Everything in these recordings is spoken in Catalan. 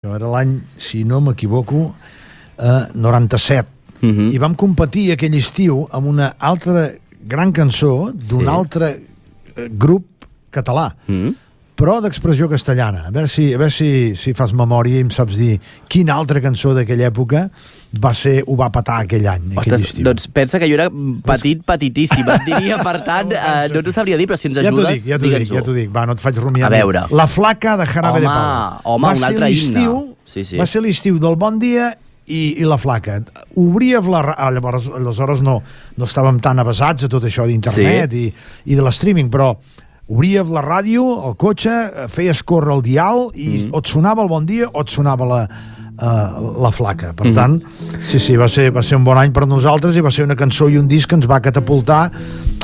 Era l'any, si no m'equivoco, 97. I vam competir aquell estiu amb una altra gran cançó d'un altre grup català, però d'expressió castellana. A veure si fas memòria i em saps dir quina altra cançó d'aquella època ho va petar aquell any, aquell estiu. Doncs pensa que jo era petitíssim. Et diria, per tant, no t'ho sabria dir, però si ens ajudes, digue'ns-ho. Ja t'ho dic, va, no et faig rumiar. A veure. La flaca de Jarabe de Palo. Home, un altre himne. Va ser l'estiu del Bon Dia i la flaca. Obries llavors, aleshores no estàvem tan avesats a tot això d'internet i de l'streaming, però obries la ràdio, el cotxe, feies córrer el dial i o et sonava el Bon Dia o et sonava la flaca. Per tant, sí, va ser un bon any per nosaltres i va ser una cançó i un disc que ens va catapultar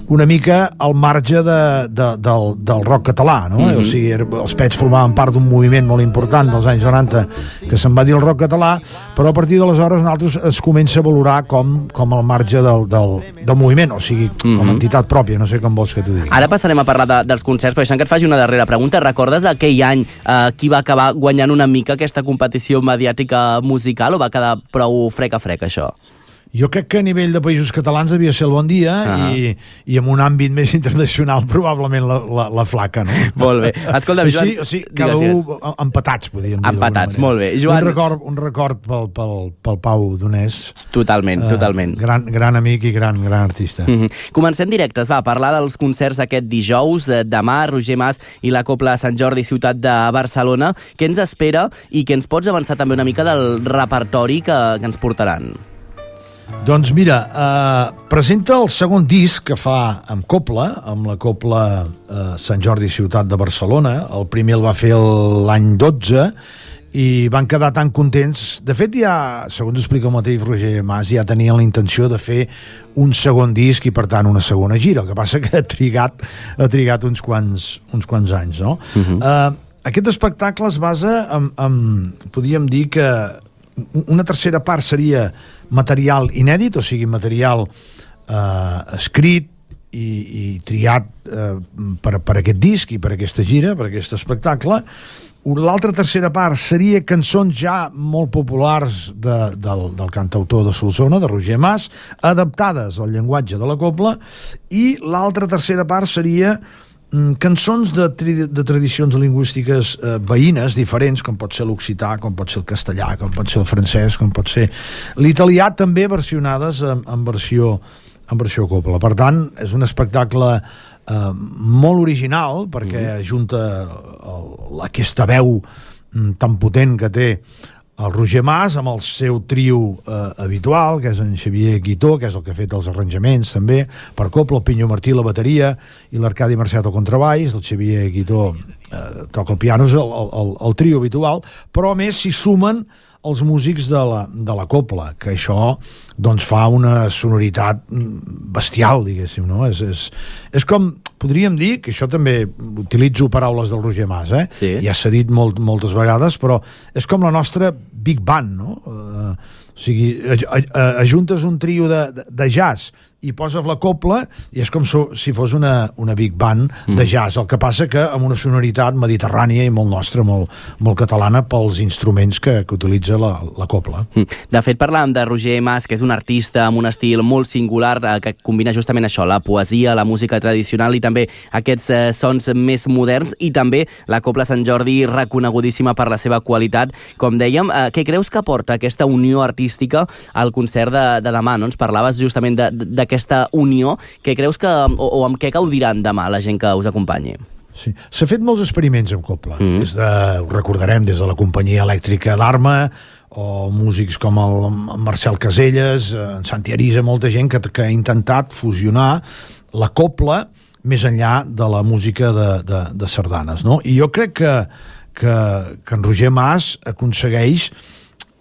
una mica al marge del rock català, no? O sigui, els Pets formaven part d'un moviment molt important dels anys 90 que se'n va dir el rock català, però a partir d'aleshores nosaltres es comença a valorar com al marge del moviment, o sigui, com a entitat pròpia, no sé com vols que t'ho digui. Ara passarem a parlar dels concerts, però deixant que et faci una darrera pregunta. Recordes aquell any qui va acabar guanyant una mica aquesta competició mediàtica musical o va quedar prou frec a frec, això? Jo crec que a nivell de països catalans devia ser el Bon Dia i en un àmbit més internacional probablement la flaca, no? Molt bé. Escolta'm, Joan... O sigui, cada un empatats, podríem dir. Empatats, molt bé. Joan... Un record pel Pau Donés. Totalment. Gran amic i gran artista. Comencem directes, va, a parlar dels concerts aquest dijous. Demà, Roger Mas i la Cobla Sant Jordi, ciutat de Barcelona. Què ens espera i què ens pots avançar també una mica del repertori que ens portaran? Doncs mira, presenta el segon disc que fa amb Cobla, amb la Cobla Sant Jordi Ciutat de Barcelona. El primer el va fer l'any 12 i van quedar tan contents. De fet, ja, segons explica el mateix Roger Mas, ja tenien la intenció de fer un segon disc i, per tant, una segona gira. El que passa que ha trigat uns quants anys, no? Aquest espectacle es basa en podríem dir que una tercera part seria material inèdit, o sigui, material escrit i triat per aquest disc i per aquesta gira, per aquest espectacle. L'altra tercera part seria cançons ja molt populars del cantautor de Solsona, de Roger Mas, adaptades al llenguatge de la cobla, i l'altra tercera part seria cançons de tradicions lingüístiques veïnes, diferents, com pot ser l'occità, com pot ser el castellà, com pot ser el francès, com pot ser l'italià, també versionades en versió cobla. Per tant, és un espectacle molt original, perquè ajunta aquesta veu tan potent que té el Roger Mas amb el seu trio habitual, que és en Xavier Guitó, que és el que ha fet els arranjaments també per cobla, el Pinyo Martí la bateria i l'Arcadi Marciat al contrabaix, el Xavier Guitó toca el piano, és el trio habitual, però a més s'hi sumen els músics de la cobla, que això doncs fa una sonoritat bestial, diguéssim, no? És com, podríem dir, que això també utilitzo paraules del Roger Mas, ja s'ha dit moltes vegades, però és com la nostra Big Band, no? O sigui, ajuntes un trio de jazz i poses la cobla i és com si fos una big band de jazz. El que passa que amb una sonoritat mediterrània i molt nostra, molt catalana pels instruments que utilitza la cobla. De fet, parlàvem de Roger Mas, que és un artista amb un estil molt singular que combina justament això, la poesia, la música tradicional i també aquests sons més moderns, i també la Cobla Sant Jordi, reconegudíssima per la seva qualitat. Com dèiem, què creus que aporta aquesta unió artística al concert de demà, no? Ens parlaves justament d'aquesta unió. Què creus que, o amb què gaudiran demà la gent que us acompanyi? Sí. S'ha fet molts experiments amb cobla. Ho recordarem des de la companyia elèctrica d'Arma o músics com el Marcel Caselles, en Santi Arisa, molta gent que ha intentat fusionar la cobla més enllà de la música de sardanes, no? I jo crec que en Roger Mas aconsegueix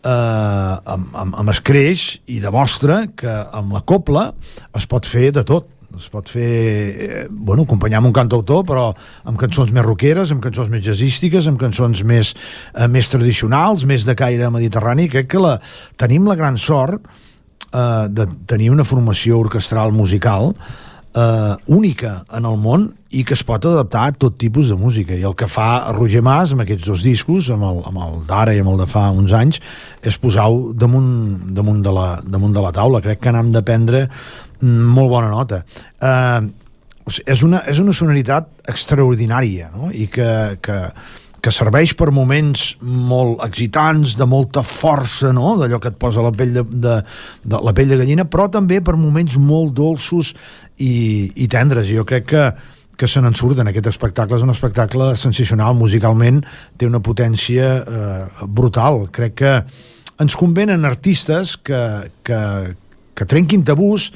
amb escreix i demostra que amb la cobla es pot fer de tot. Es pot fer, acompanyar amb un cantautor, però amb cançons més rockeres, amb cançons més jazzístiques, amb cançons més tradicionals, més de caire mediterrani. Crec que tenim la gran sort de tenir una formació orquestral musical única en el món i que es pot adaptar a tot tipus de música, i el que fa Roger Mas amb aquests dos discos, amb el d'ara i amb el de fa uns anys, és posar-ho damunt de la taula. Crec que n'hem de prendre molt bona nota. És una sonoritat extraordinària, no? I que serveix per moments molt excitants, de molta força, no? D'allò que et posa la pell de la pell de gallina, però també per moments molt dolços i tendres. Jo crec que se n'en surten. Aquest espectacle és un espectacle sensacional, musicalment té una potència brutal. Crec que ens convenen artistes que trenquin tabús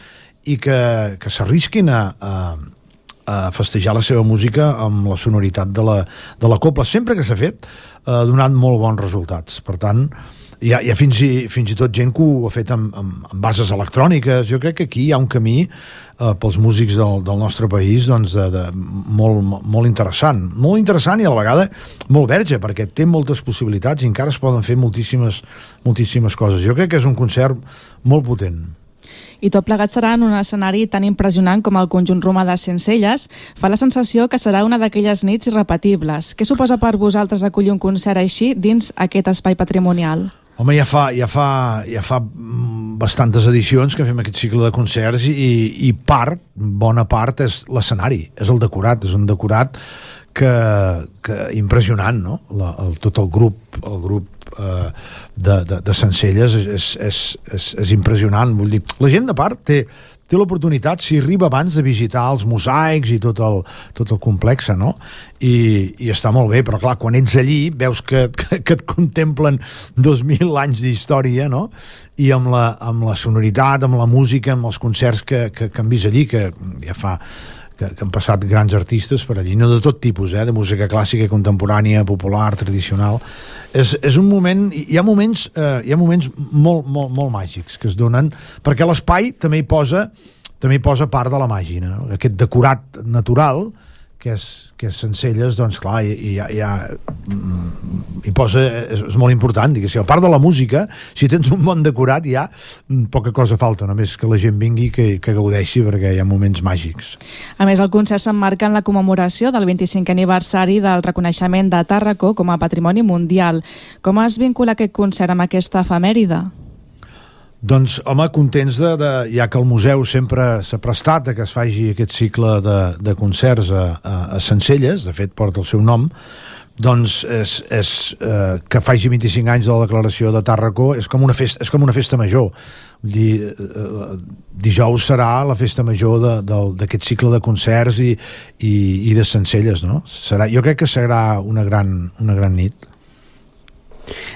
i que s'arrisquin a festejar la seva música amb la sonoritat de la copla. Sempre que s'ha fet ha donat molt bons resultats. Per tant, hi ha fins i tot gent que ho ha fet amb bases electròniques. Jo crec que aquí hi ha un camí pels músics del nostre país, doncs, molt interessant. Molt interessant i a la vegada molt verge, perquè té moltes possibilitats i encara es poden fer moltíssimes coses. Jo crec que és un concert molt potent. I tot plegat serà en un escenari tan impressionant com el conjunt romà de Sencelles. Fa la sensació que serà una d'aquelles nits irrepetibles. Què suposa per vosaltres acollir un concert així dins aquest espai patrimonial? Home, ja fa bastantes edicions que fem aquest cicle de concerts i bona part és l'escenari, és el decorat, és un decorat que impressionant, no? Tot el grup de Sencelles és impressionant. Vull dir, la gent de part té l'oportunitat, si arriba abans, de visitar els mosaics i tot el complex, no? I està molt bé, però clar, quan ets allí veus que et contemplen 2000 anys d'història, no? I amb la sonoritat, amb la música, amb els concerts que han vist allí, que ja fa que han passat grans artistes per allí, no de tot tipus, de música clàssica, contemporània, popular, tradicional. És un moment, hi ha moments molt màgics que es donen, perquè l'espai també hi posa part de la màgia, no? Aquest decorat natural que és Sencelles, doncs clar, hi posa, és molt important, diguéssim. A part de la música, si tens un bon decorat, ja poca cosa falta, només que la gent vingui, que gaudeixi, perquè hi ha moments màgics. A més, el concert s'emmarca en la commemoració del 25è aniversari del reconeixement de Tàrraco com a patrimoni mundial. Com es vincula aquest concert amb aquesta efemèride? Doncs, home, contents ja que el museu sempre s'ha prestat a que es faci aquest cicle de concerts a Sencelles, de fet porta el seu nom, doncs que faci 25 anys de la declaració de Tàrraco és com una festa major. Vull dir, dijous serà la festa major d'aquest cicle de concerts i de Sencelles, no? Jo crec que serà una gran nit.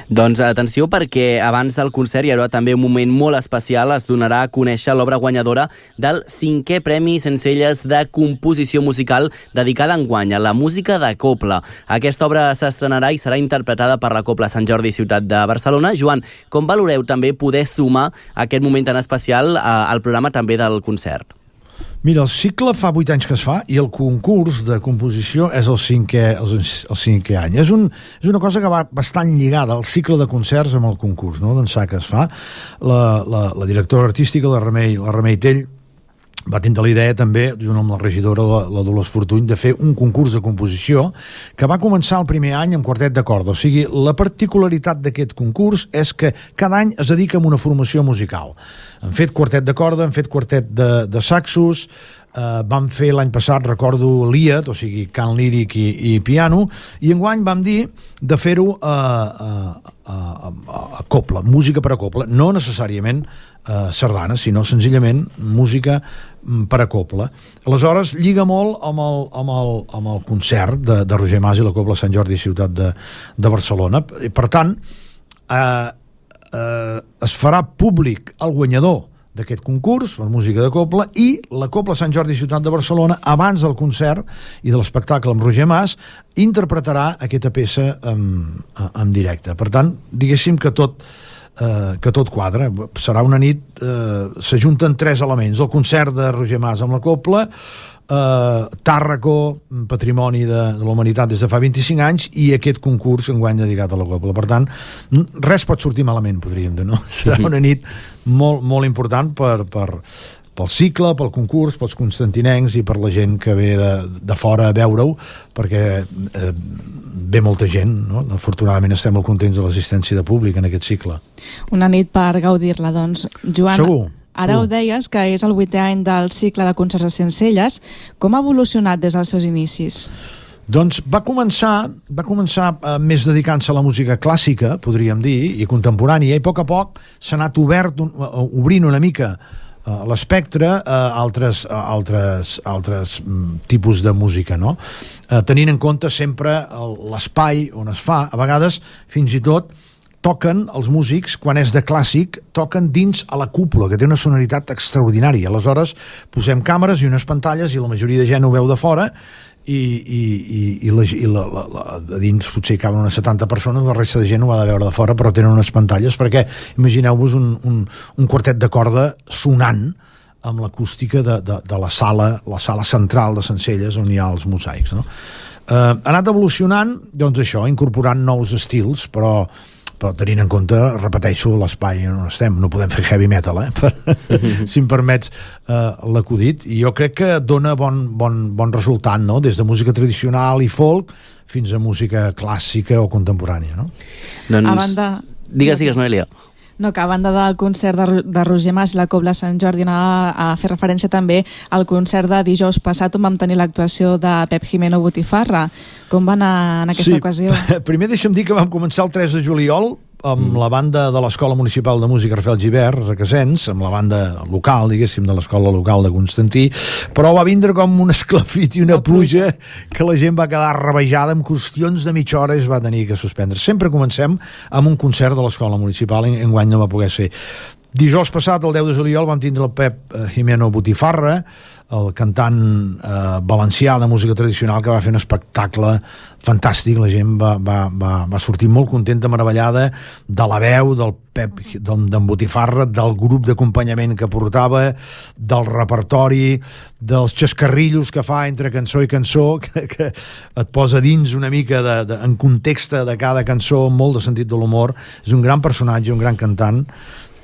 Doncs atenció, perquè abans del concert hi haurà també un moment molt especial. Es donarà a conèixer l'obra guanyadora del 5è Premi Sencelles de Composició Musical, dedicada enguany a la música de copla. Aquesta obra s'estrenarà i serà interpretada per la Copla Sant Jordi Ciutat de Barcelona. Joan, com valoreu també poder sumar aquest moment tan especial al programa també del concert? Mira, el cicle fa 8 anys que es fa i el concurs de composició és el 5è any. És una cosa que va bastant lligada al cicle de concerts amb el concurs, no?, d'ençà que es fa. La directora artística, la Remei Tell, va tindre la idea també, junt amb la regidora, la Dolors Fortuny, de fer un concurs de composició que va començar el primer any amb quartet de corda. O sigui, la particularitat d'aquest concurs és que cada any es dedica a una formació musical. Han fet quartet de corda, han fet quartet de saxos, vam fer l'any passat, recordo, lied, o sigui, cant líric i piano, i enguany vam dir de fer-ho a copla, música per a copla, no necessàriament sardana, sinó senzillament música per a copla. Aleshores, lliga molt amb el concert de Roger Mas i la Copla Sant Jordi Ciutat de Barcelona. Per tant, es farà públic el guanyador d'aquest concurs per música de copla, i la Copla Sant Jordi Ciutat de Barcelona, abans del concert i de l'espectacle amb Roger Mas, interpretarà aquesta peça en directe. Per tant, diguéssim que tot quadra. Serà una nit, s'ajunten 3 elements: el concert de Roger Mas amb la copla, Tàrraco, patrimoni de la humanitat des de fa 25 anys, i aquest concurs enguany dedicat a la copla. Per tant, res pot sortir malament, podríem dir, no? Serà una nit molt, molt important per pel cicle, pel concurs, pels constantinencs i per la gent que ve de fora a veure-ho, perquè ve molta gent, no? Afortunadament estem molt contents de l'assistència de públic en aquest cicle. Una nit per gaudir-la, doncs. Joan, Segur. Ara ho deies, que és el 8è any del cicle de concerts a Sencelles. Com ha evolucionat des dels seus inicis? Doncs va començar més dedicant-se a la música clàssica, podríem dir, i contemporània, i a poc s'ha anat obrint una mica l'espectre a altres tipus de música, no? Tenint en compte sempre l'espai on es fa. A vegades, fins i tot, toquen els músics, quan és de clàssic, toquen dins a la cúpula, que té una sonoritat extraordinària. Aleshores, posem càmeres i unes pantalles i la majoria de gent ho veu de fora i a dins potser caben unes 70 persones, la resta de gent ho va de veure de fora, però tenen unes pantalles, perquè imagineu-vos un quartet de corda sonant amb l'acústica de la sala central de Sencelles on hi ha els mosaics, no? Ha anat evolucionant, doncs això, incorporant nous estils, però tenint en compte, repeteixo, l'espai on estem. No podem fer heavy metal, si em permets l'acudit, i jo crec que dona bon resultat, no? Des de música tradicional i folk fins a música clàssica o contemporània, no? Doncs, digues, Noelia. No, que a banda del concert de Roger Mas i la Cobla Sant Jordi, anava a fer referència també al concert de dijous passat on vam tenir l'actuació de Pep Jimeno Botifarra. Com va anar en aquesta ocasió? Primer deixa'm dir que vam començar el 3 de juliol amb la banda de l'Escola Municipal de Música Rafael Gibert, Requesens, amb la banda local, diguéssim, de l'escola local de Constantí, però va vindre com un esclafit i una pluja que la gent va quedar rabejada, amb qüestions de mitja hora es va tenir que suspendre. Sempre comencem amb un concert de l'Escola Municipal, enguany no va poder ser. Dijous passat, el 10 de juliol, vam tindre el Pep Jimeno Botifarra, el cantant valencià de música tradicional, que va fer un espectacle fantàstic. La gent va sortir molt contenta, meravellada de la veu del Pep, d'en Botifarra, del grup d'acompanyament que portava, del repertori, dels xascarrillos que fa entre cançó i cançó, que et posa dins una mica en context de cada cançó, amb molt de sentit de l'humor. És un gran personatge, un gran cantant,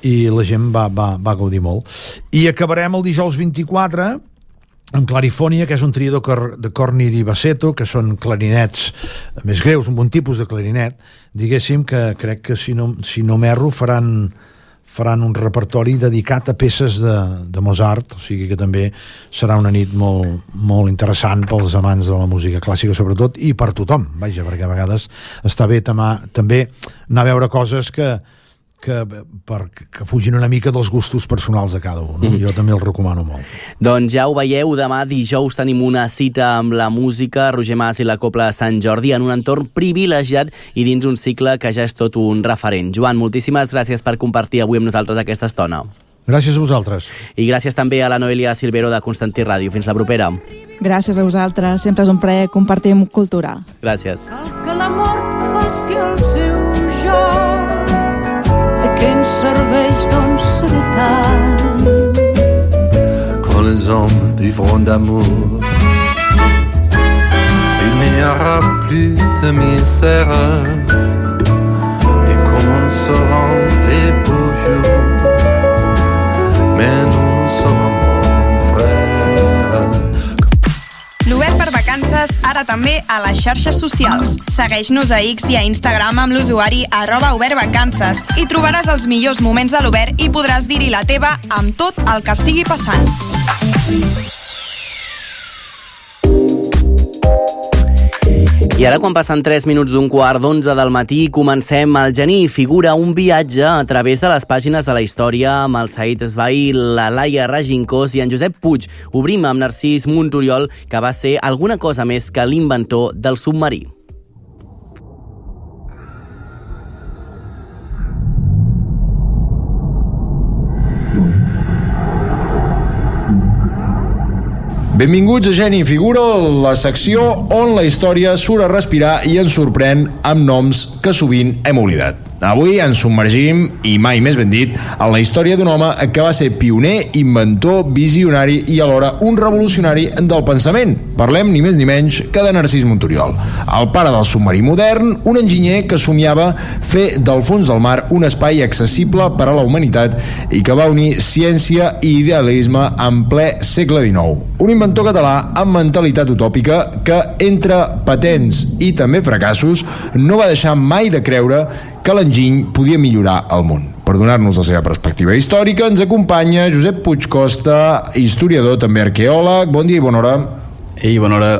i la gent va gaudir molt. I acabarem el dijous 24 amb Clarifònia, que és un trio de corni di bassetto, que són clarinets més greus, un bon tipus de clarinet, diguéssim, que crec que si no m'erro faran un repertori dedicat a peces de Mozart, o sigui que també serà una nit molt, molt interessant pels amants de la música clàssica sobretot, i per tothom, vaja, perquè a vegades està bé també anar a veure coses que fugin una mica dels gustos personals de cada un, no? Jo també el recomano molt. Doncs ja ho veieu, demà dijous tenim una cita amb la música, Roger Mas i la Cobla Sant Jordi, en un entorn privilegiat i dins un cicle que ja és tot un referent. Joan, moltíssimes gràcies per compartir avui amb nosaltres aquesta estona. Gràcies a vosaltres. I gràcies també a la Noelia Silvero de Constantí Ràdio. Fins la propera. Gràcies a vosaltres, sempre és un plaer compartir cultura. Gràcies. Que la mort faci el seu joc, que ens serveix doncs saber tant. Quand les hommes vivront d'amour, il n'y aura plus de misère et commenceront les beaux jours, mais nous serons mon frère. L'Obert per Vacances ara també a les xarxes socials. Segueix-nos a X i a Instagram amb l'usuari @obertvacances i trobaràs els millors moments de l'Obert i podràs dir-hi la teva amb tot el que estigui passant. I ara, quan passen 3 minuts d'un quart d'11 del matí, comencem el Geni figura un viatge a través de les pàgines de la història amb el Said Esbai, la Laia Regincós i en Josep Puig. Obrim amb Narcís Montoriol, que va ser alguna cosa més que l'inventor del submarí. Benvinguts a Geni Figura, la secció on la història surt a respirar i ens sorprèn amb noms que sovint hem oblidat. Avui ens submergim, i mai més ben dit, en la història d'un home que va ser pioner, inventor, visionari i alhora un revolucionari del pensament. Parlem ni més ni menys que de Narcís Monturiol, el pare del submarí modern, un enginyer que somiava fer del fons del mar un espai accessible per a la humanitat i que va unir ciència i idealisme en ple segle XIX. Un inventor català amb mentalitat utòpica que, entre patents i també fracassos, no va deixar mai de creure que l'enginy podia millorar el món. Per donar-nos la seva perspectiva històrica ens acompanya Josep Puig Costa, historiador, també arqueòleg. Bon dia i bona hora. Ei, bona hora.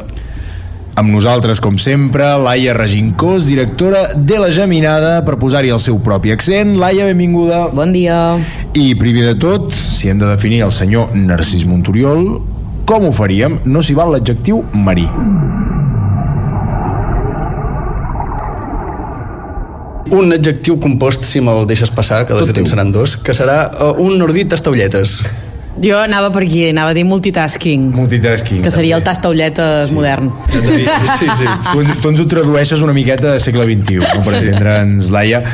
Amb nosaltres, com sempre, Laia Regincós, directora de La Geminada, per posar-hi el seu propi accent. Laia, benvinguda. Bon dia. I primer de tot, si hem de definir el senyor Narcís Monturiol, com ho faríem? No s'hi val l'adjectiu marí. Un adjectiu compost, si me'l deixes passar, que de fet en seran dos, que serà un nordí tastaulletes. Jo anava per aquí, anava a dir multitasking. Multitasking. Que seria el tastaulletes modern. Sí. Tu ens ho tradueixes una miqueta de segle XXI, no? Per entendre'ns, Laia.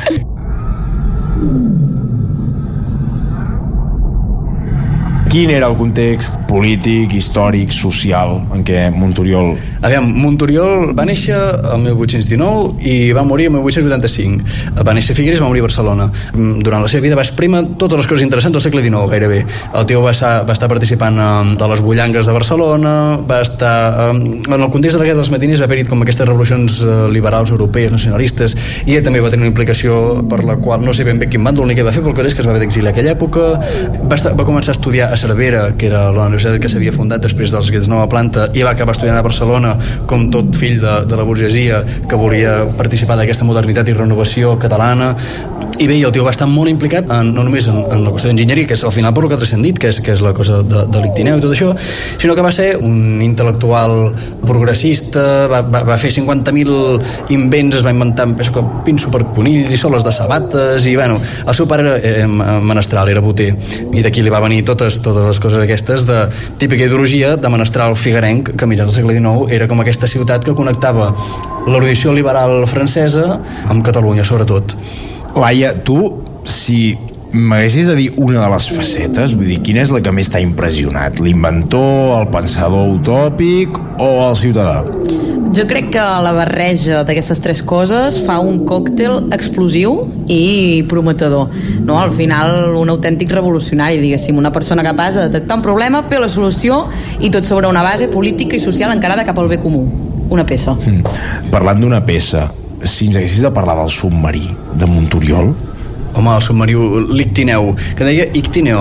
Quin era el context polític, històric, social en què Monturiol... Aviam, Monturiol va néixer el 1819 i va morir el 1885. Va néixer a Figueres i va morir a Barcelona. Durant la seva vida va exprimir totes les coses interessants del segle XIX, gairebé. El tio va estar participant de les bullangues de Barcelona, va estar... En el context de la Guerra dels Matiners va haver-hi com aquestes revolucions liberals europees, nacionalistes, i ell també va tenir una implicació per la qual no sé ben bé quin bàndol ni què va fer, però el que és que es va haver d'exiliar a aquella època. Va començar a estudiar a Cervera, que era la universitat que s'havia fundat després dels Guets Nova Planta, i va acabar estudiant a Barcelona com tot fill de la burgesia que volia participar d'aquesta modernitat i renovació catalana. I bé, el tio va estar molt implicat no només en la qüestió d'enginyeria, que és al final per el que ha transcendit, que és la cosa de l'Ictineu i tot això, sinó que va ser un intel·lectual progressista, va fer 50.000 invents, es va inventar pinso per conills i soles de sabates, i bueno, el seu pare era menestral, era boter, i d'aquí li va venir totes les coses aquestes de típica ideologia de menestral figuerenc, que a mitjans del segle XIX era com aquesta ciutat que connectava l'erudició liberal francesa amb Catalunya, sobretot. Laia, tu, si m'haguessis de dir una de les facetes, vull dir, quina és la que més t'ha impressionat? L'inventor, el pensador utòpic o el ciutadà? Jo crec que la barreja d'aquestes tres coses fa un còctel explosiu i prometedor, no? Al final un autèntic revolucionari, diguéssim, una persona capaç de detectar un problema, fer la solució i tot sobre una base política i social encarada cap al bé comú. Una peça. Parlant d'una peça, si ens haguessis de parlar del submarí de Monturiol... Home, el submarí, l'Ictineu, que deia Ictineo.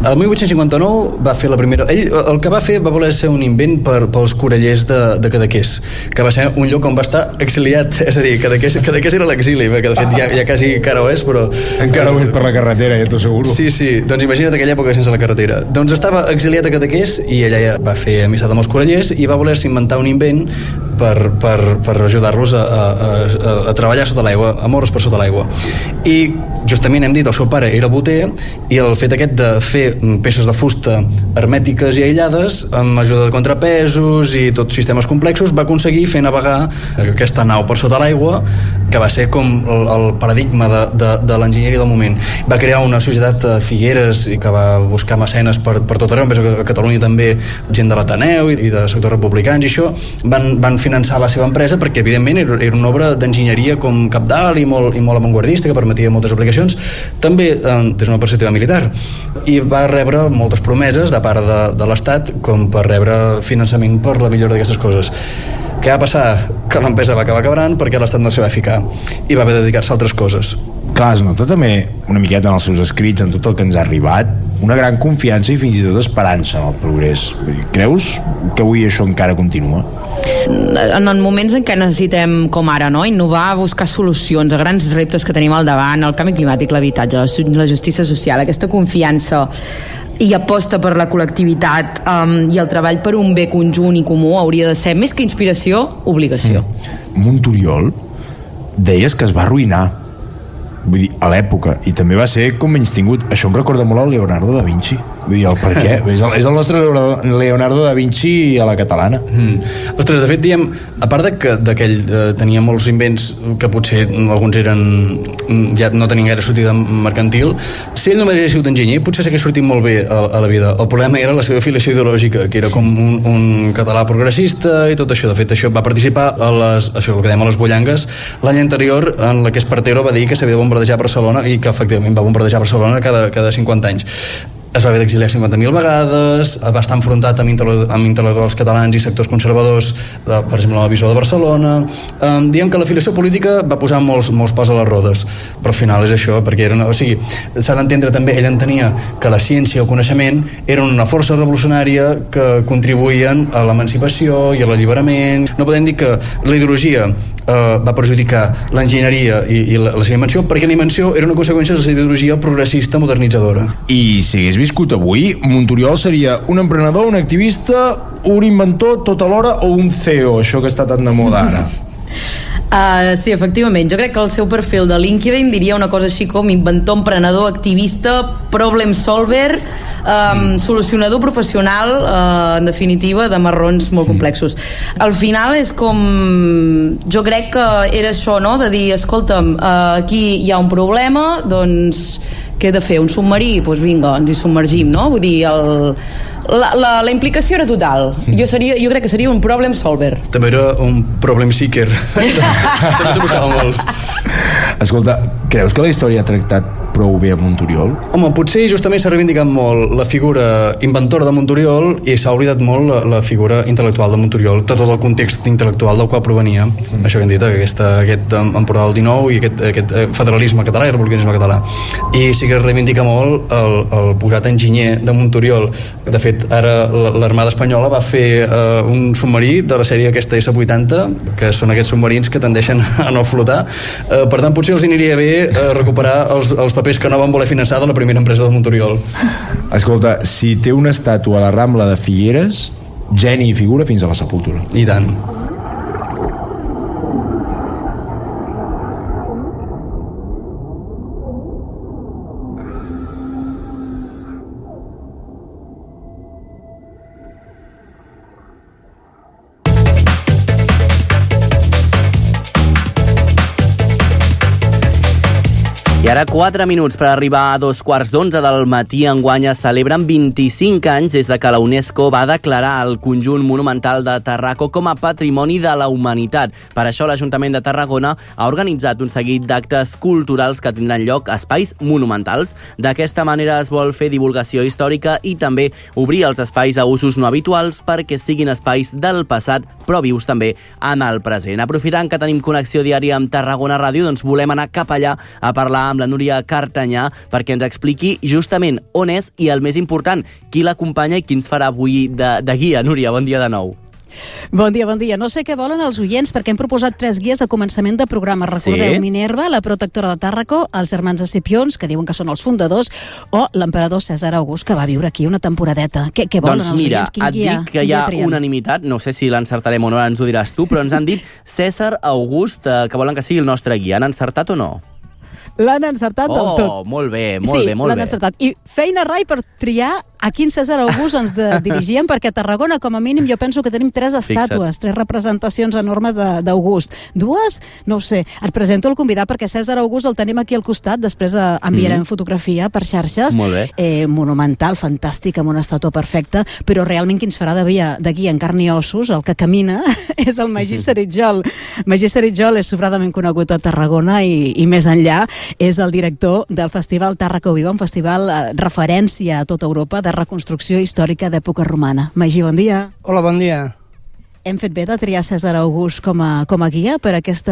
El 1859 va fer la primera... Ell el que va fer va voler ser un invent pels corallers de Cadaqués, que va ser un lloc on va estar exiliat, és a dir, Cadaqués era l'exili, que de fet ja quasi encara ho és, però... Encara ho és per la carretera, ja t'ho asseguro. Sí, doncs imagina't aquella època sense la carretera. Doncs estava exiliat a Cadaqués i ella ja va fer amistat amb els corallers i va voler-se inventar un invent per ajudar-los a treballar sota l'aigua, a moure's per sota l'aigua. I justament hem dit, el seu pare era boter, i el fet aquest de fer peces de fusta hermètiques i aïllades amb ajuda de contrapesos i tots sistemes complexos va aconseguir fer navegar aquesta nau per sota l'aigua, que va ser com el paradigma de l'enginyeria del moment. Va crear una societat a Figueres i que va buscar mecenes per tot arreu, a Catalunya també gent de l'Ateneu i de sectors republicans, i això van finançar la seva empresa perquè evidentment era una obra d'enginyeria com cabdal i molt avantguardista, que permetia moltes aplicacions, també des d'una perspectiva militar, i va rebre moltes promeses de part de l'Estat com per rebre finançament per la millora d'aquestes coses. Què va passar? Que l'empresa va acabar quebrant perquè l'Estat no s'hi va ficar i va haver de dedicar-se a altres coses. Clar, es nota també una miqueta en els seus escrits, en tot el que ens ha arribat, una gran confiança i fins i tot esperança en el progrés. Creus que avui això encara continua? En moments en què necessitem, com ara, no? Innovar, buscar solucions a grans reptes que tenim al davant, el canvi climàtic, l'habitatge, la justícia social, aquesta confiança i aposta per la col·lectivitat i el treball per un bé conjunt i comú hauria de ser, més que inspiració, obligació. Monturiol, deies que es va arruïnar. vull dir, a l'època, i també va ser com menys tingut. Això em recorda molt el Leonardo da Vinci, vull dir, el per què? És el nostre Leonardo da Vinci a la catalana. Ostres, de fet, diem, a part d'aquell tenia molts invents que potser alguns ja no tenien gaire sortida mercantil, si ell només hagués sigut enginyer, potser s'hagués sortit molt bé a la vida. El problema era la seva afiliació ideològica, que era com un català progressista i tot això. De fet, això va participar a això que dèiem a les Bollangues l'any anterior, en la que Espartero va dir que s'havia de bombardejar Barcelona, i que efectivament va bombardejar Barcelona cada 50 anys. Es va haver d'exiliar 50.000 vegades, va estar enfrontat amb intel·lectuals catalans i sectors conservadors, per exemple, amb la Bisbal de Barcelona. Diem que l'afiliació política va posar molts pals a les rodes, però al final és això, perquè s'ha d'entendre també, ell entenia que la ciència o el coneixement eren una força revolucionària que contribuïen a l'emancipació i a l'alliberament. No podem dir que la ideologia va perjudicar l'enginyeria i la seva invenció, perquè la invenció era una conseqüència de la seva ideologia progressista modernitzadora. I si hagués viscut avui, Monturiol seria un emprenedor, un activista, un inventor tot alhora, o un CEO, això que està tan de moda ara? Sí, efectivament. Jo crec que el seu perfil de LinkedIn diria una cosa així com inventor, emprenedor, activista, problem solver, solucionador professional, en definitiva, de marrons molt complexos. Al final és com... Jo crec que era això, no?, de dir, escolta'm, aquí hi ha un problema, doncs què he de fer? Un submarí? Doncs vinga, ens hi submergim, no? Vull dir, la implicació era total. Jo crec que seria un problem solver. També era un problem seeker. També se buscaven molts. Escolta, creus que la història ha tractat prou bé a Monturiol? Home, potser justament s'ha reivindicat molt la figura inventora de Monturiol i s'ha oblidat molt la figura intel·lectual de Monturiol, tot el context intel·lectual del qual provenia. Això que hem dit, aquest Empordà del 19 i aquest federalisme català i republicanisme català. I sí que es reivindica molt el posat enginyer de Monturiol. De fet, ara l'Armada Espanyola va fer un submarí de la sèrie aquesta S-80, que són aquests submarins que tendeixen a no flotar. Per tant, potser els aniria bé recuperar els papers que no van voler finançar de la primera empresa de Monturiol. Escolta, si té una estàtua a la Rambla de Figueres, geni i figura fins a la sepultura. I tant. I ara 4 minuts per arribar a 2:15 del matí. Enguany es celebren 25 anys des de que la UNESCO va declarar el conjunt monumental de Tarraco com a Patrimoni de la Humanitat. Per això l'Ajuntament de Tarragona ha organitzat un seguit d'actes culturals que tindran lloc a espais monumentals. D'aquesta manera es vol fer divulgació històrica i també obrir els espais a usos no habituals perquè siguin espais del passat però vius també en el present. Aprofitant que tenim connexió diària amb Tarragona Ràdio, doncs volem anar cap allà a parlar amb la Núria Cartanyà perquè ens expliqui justament on és i, el més important, qui l'acompanya i qui ens farà avui de guia. Núria, bon dia de nou. Bon dia, bon dia. No sé què volen els oients perquè hem proposat 3 guies a començament de programa. Recordeu, sí? Minerva, la protectora de Tàrraco, els germans Escipions, que diuen que són els fundadors, o l'emperador Cèsar August, que va viure aquí una temporadeta. Què volen els oients? Quin guia? Dic que hi ha unanimitat, no sé si l'encertarem o no, ens ho diràs tu, però ens han dit Cèsar August, que volen que sigui el nostre guia. Han encertat o no? L'han encertat del tot. Oh, molt bé, molt bé. Sí, l'han encertat. I feina rai per triar a quin Cèsar August ens dirigíem, perquè a Tarragona, com a mínim, jo penso que tenim 3 estàtues, 3 representacions enormes d'August. 2? No ho sé. Et presento el convidat perquè Cèsar August el tenim aquí al costat, després enviarem fotografia per xarxes. Molt bé. Monumental, fantàstic, amb una estàtua perfecta, però realment qui ens farà de guia en carn i ossos, el que camina, és el Magí Saritjol. Magí Saritjol és sobradament conegut a Tarragona i més enllà. És el director del Festival Tàrraco Viva, un festival referència a tota Europa de reconstrucció històrica d'època romana. Magí, bon dia. Hola, bon dia. Hem fet bé de triar Cèsar August com a guia per aquest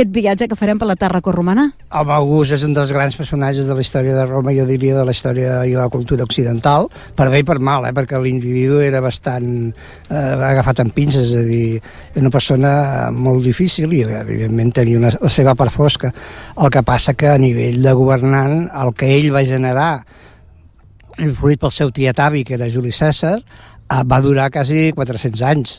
viatge que farem per la Tàrraco romana? El August és un dels grans personatges de la història de Roma, jo diria de la història i la cultura occidental, per bé i per mal, perquè l'individu era bastant agafat amb pinces, és a dir, una persona molt difícil i evidentment tenia la seva part fosca. El que passa que a nivell de governant, el que ell va generar, influït pel seu tietavi, que era Juli Cèsar, va durar quasi 400 anys.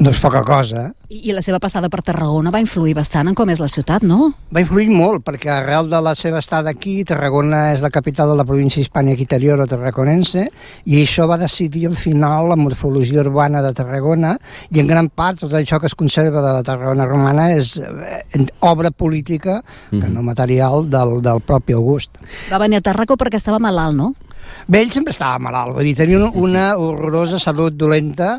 no és poca cosa. I la seva passada per Tarragona va influir bastant en com és la ciutat, no? Va influir molt, perquè arrel de la seva estada aquí, Tarragona és la capital de la província hispànica interior o tarraconense, i això va decidir al final la morfologia urbana de Tarragona, i en gran part tot això que es conserva de la Tarragona romana és obra política, que no material, del propi August. Va venir a Tàrraco perquè estava malalt, no? Bé, ell sempre estava malalt, vull dir, tenia una horrorosa salut dolenta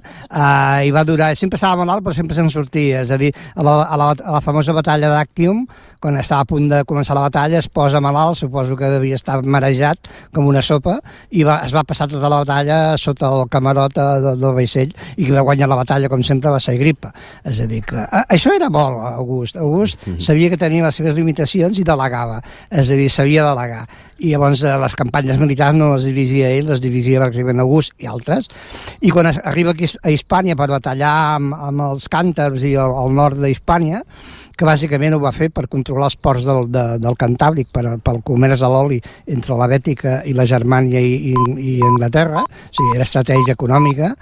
i va durar, sempre estava malalt però sempre se'n sortia, és a dir, a la famosa batalla d'Actium, quan estava a punt de començar la batalla es posa malalt, suposo que devia estar marejat com una sopa, i es va passar tota la batalla sota el camarot del vaixell, i qui va guanyar la batalla, com sempre, va ser Agripa. És a dir, que això era bo, August sabia que tenia les seves limitacions i delegava, és a dir, sabia delegar, i llavors les campanyes militars no les dirigia ell, les dirigia pràcticament August i altres, i quan arriba aquí a Hispània per batallar amb els càntars i al nord d'Hispània, que bàsicament ho va fer per controlar els ports del Cantàbric, pel comerç de l'oli entre la Bètica i la Germània i Anglaterra, o sigui, era estratègia econòmica.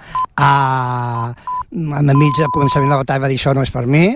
Enmig al començament de la batalla va dir això no és per mi,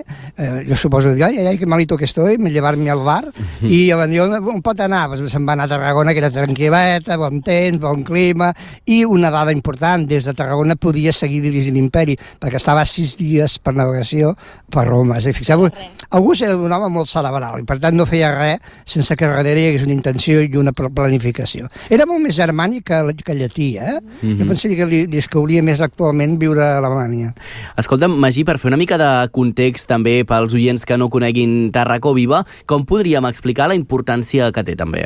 jo suposo que ai, que malito que estoy, me llevar-me al bar, i van dir, on pot anar? Pues se'n va anar a Tarragona, que era tranquil·leta, bon temps, bon clima, i una dada important, des de Tarragona podia seguir dirigint l'imperi, perquè estava 6 dies per navegació per Roma. És a dir, fixeu-vos, August era un home molt cerebral, i per tant no feia res sense que darrere hi hagués una intenció i una planificació. Era molt més germànic que llatí, Jo pensaria que li escauria més actualment viure a Alemanya. Escolta'm, Magí, per fer una mica de context també pels oients que no coneguin Tàrraco Viva, com podríem explicar la importància que té també?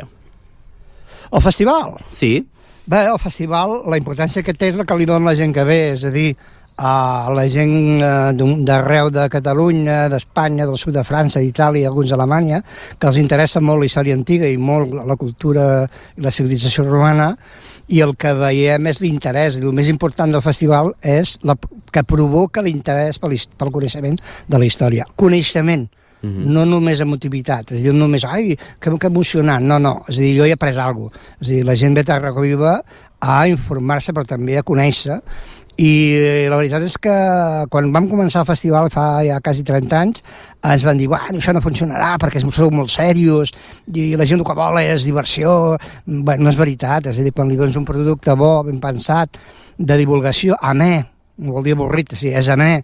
El festival? Sí. Bé, el festival, la importància que té és la que li dona la gent que ve, és a dir, la gent d'arreu de Catalunya, d'Espanya, del sud de França, d'Itàlia, alguns d'Alemanya, que els interessa molt la història antiga i molt la cultura i la civilització romana, i el que veiem és l'interès, i el més important del festival és que provoca l'interès pel coneixement de la història. Coneixement, no només emotivitat, és a dir, no només, ai, que emocionant, no, és a dir, jo he après alguna cosa. És a dir, la gent ve a Tàrraco Viva a informar-se, però també a conèixer, i la veritat és que quan vam començar el festival fa ja quasi 30 anys ens van dir, bueno, això no funcionarà perquè sou molt serios i la gent el que vol és diversió. Bueno, no és veritat, és a dir, quan li dones un producte bo, ben pensat, de divulgació, amè, no vol dir avorrit, sí, és amè,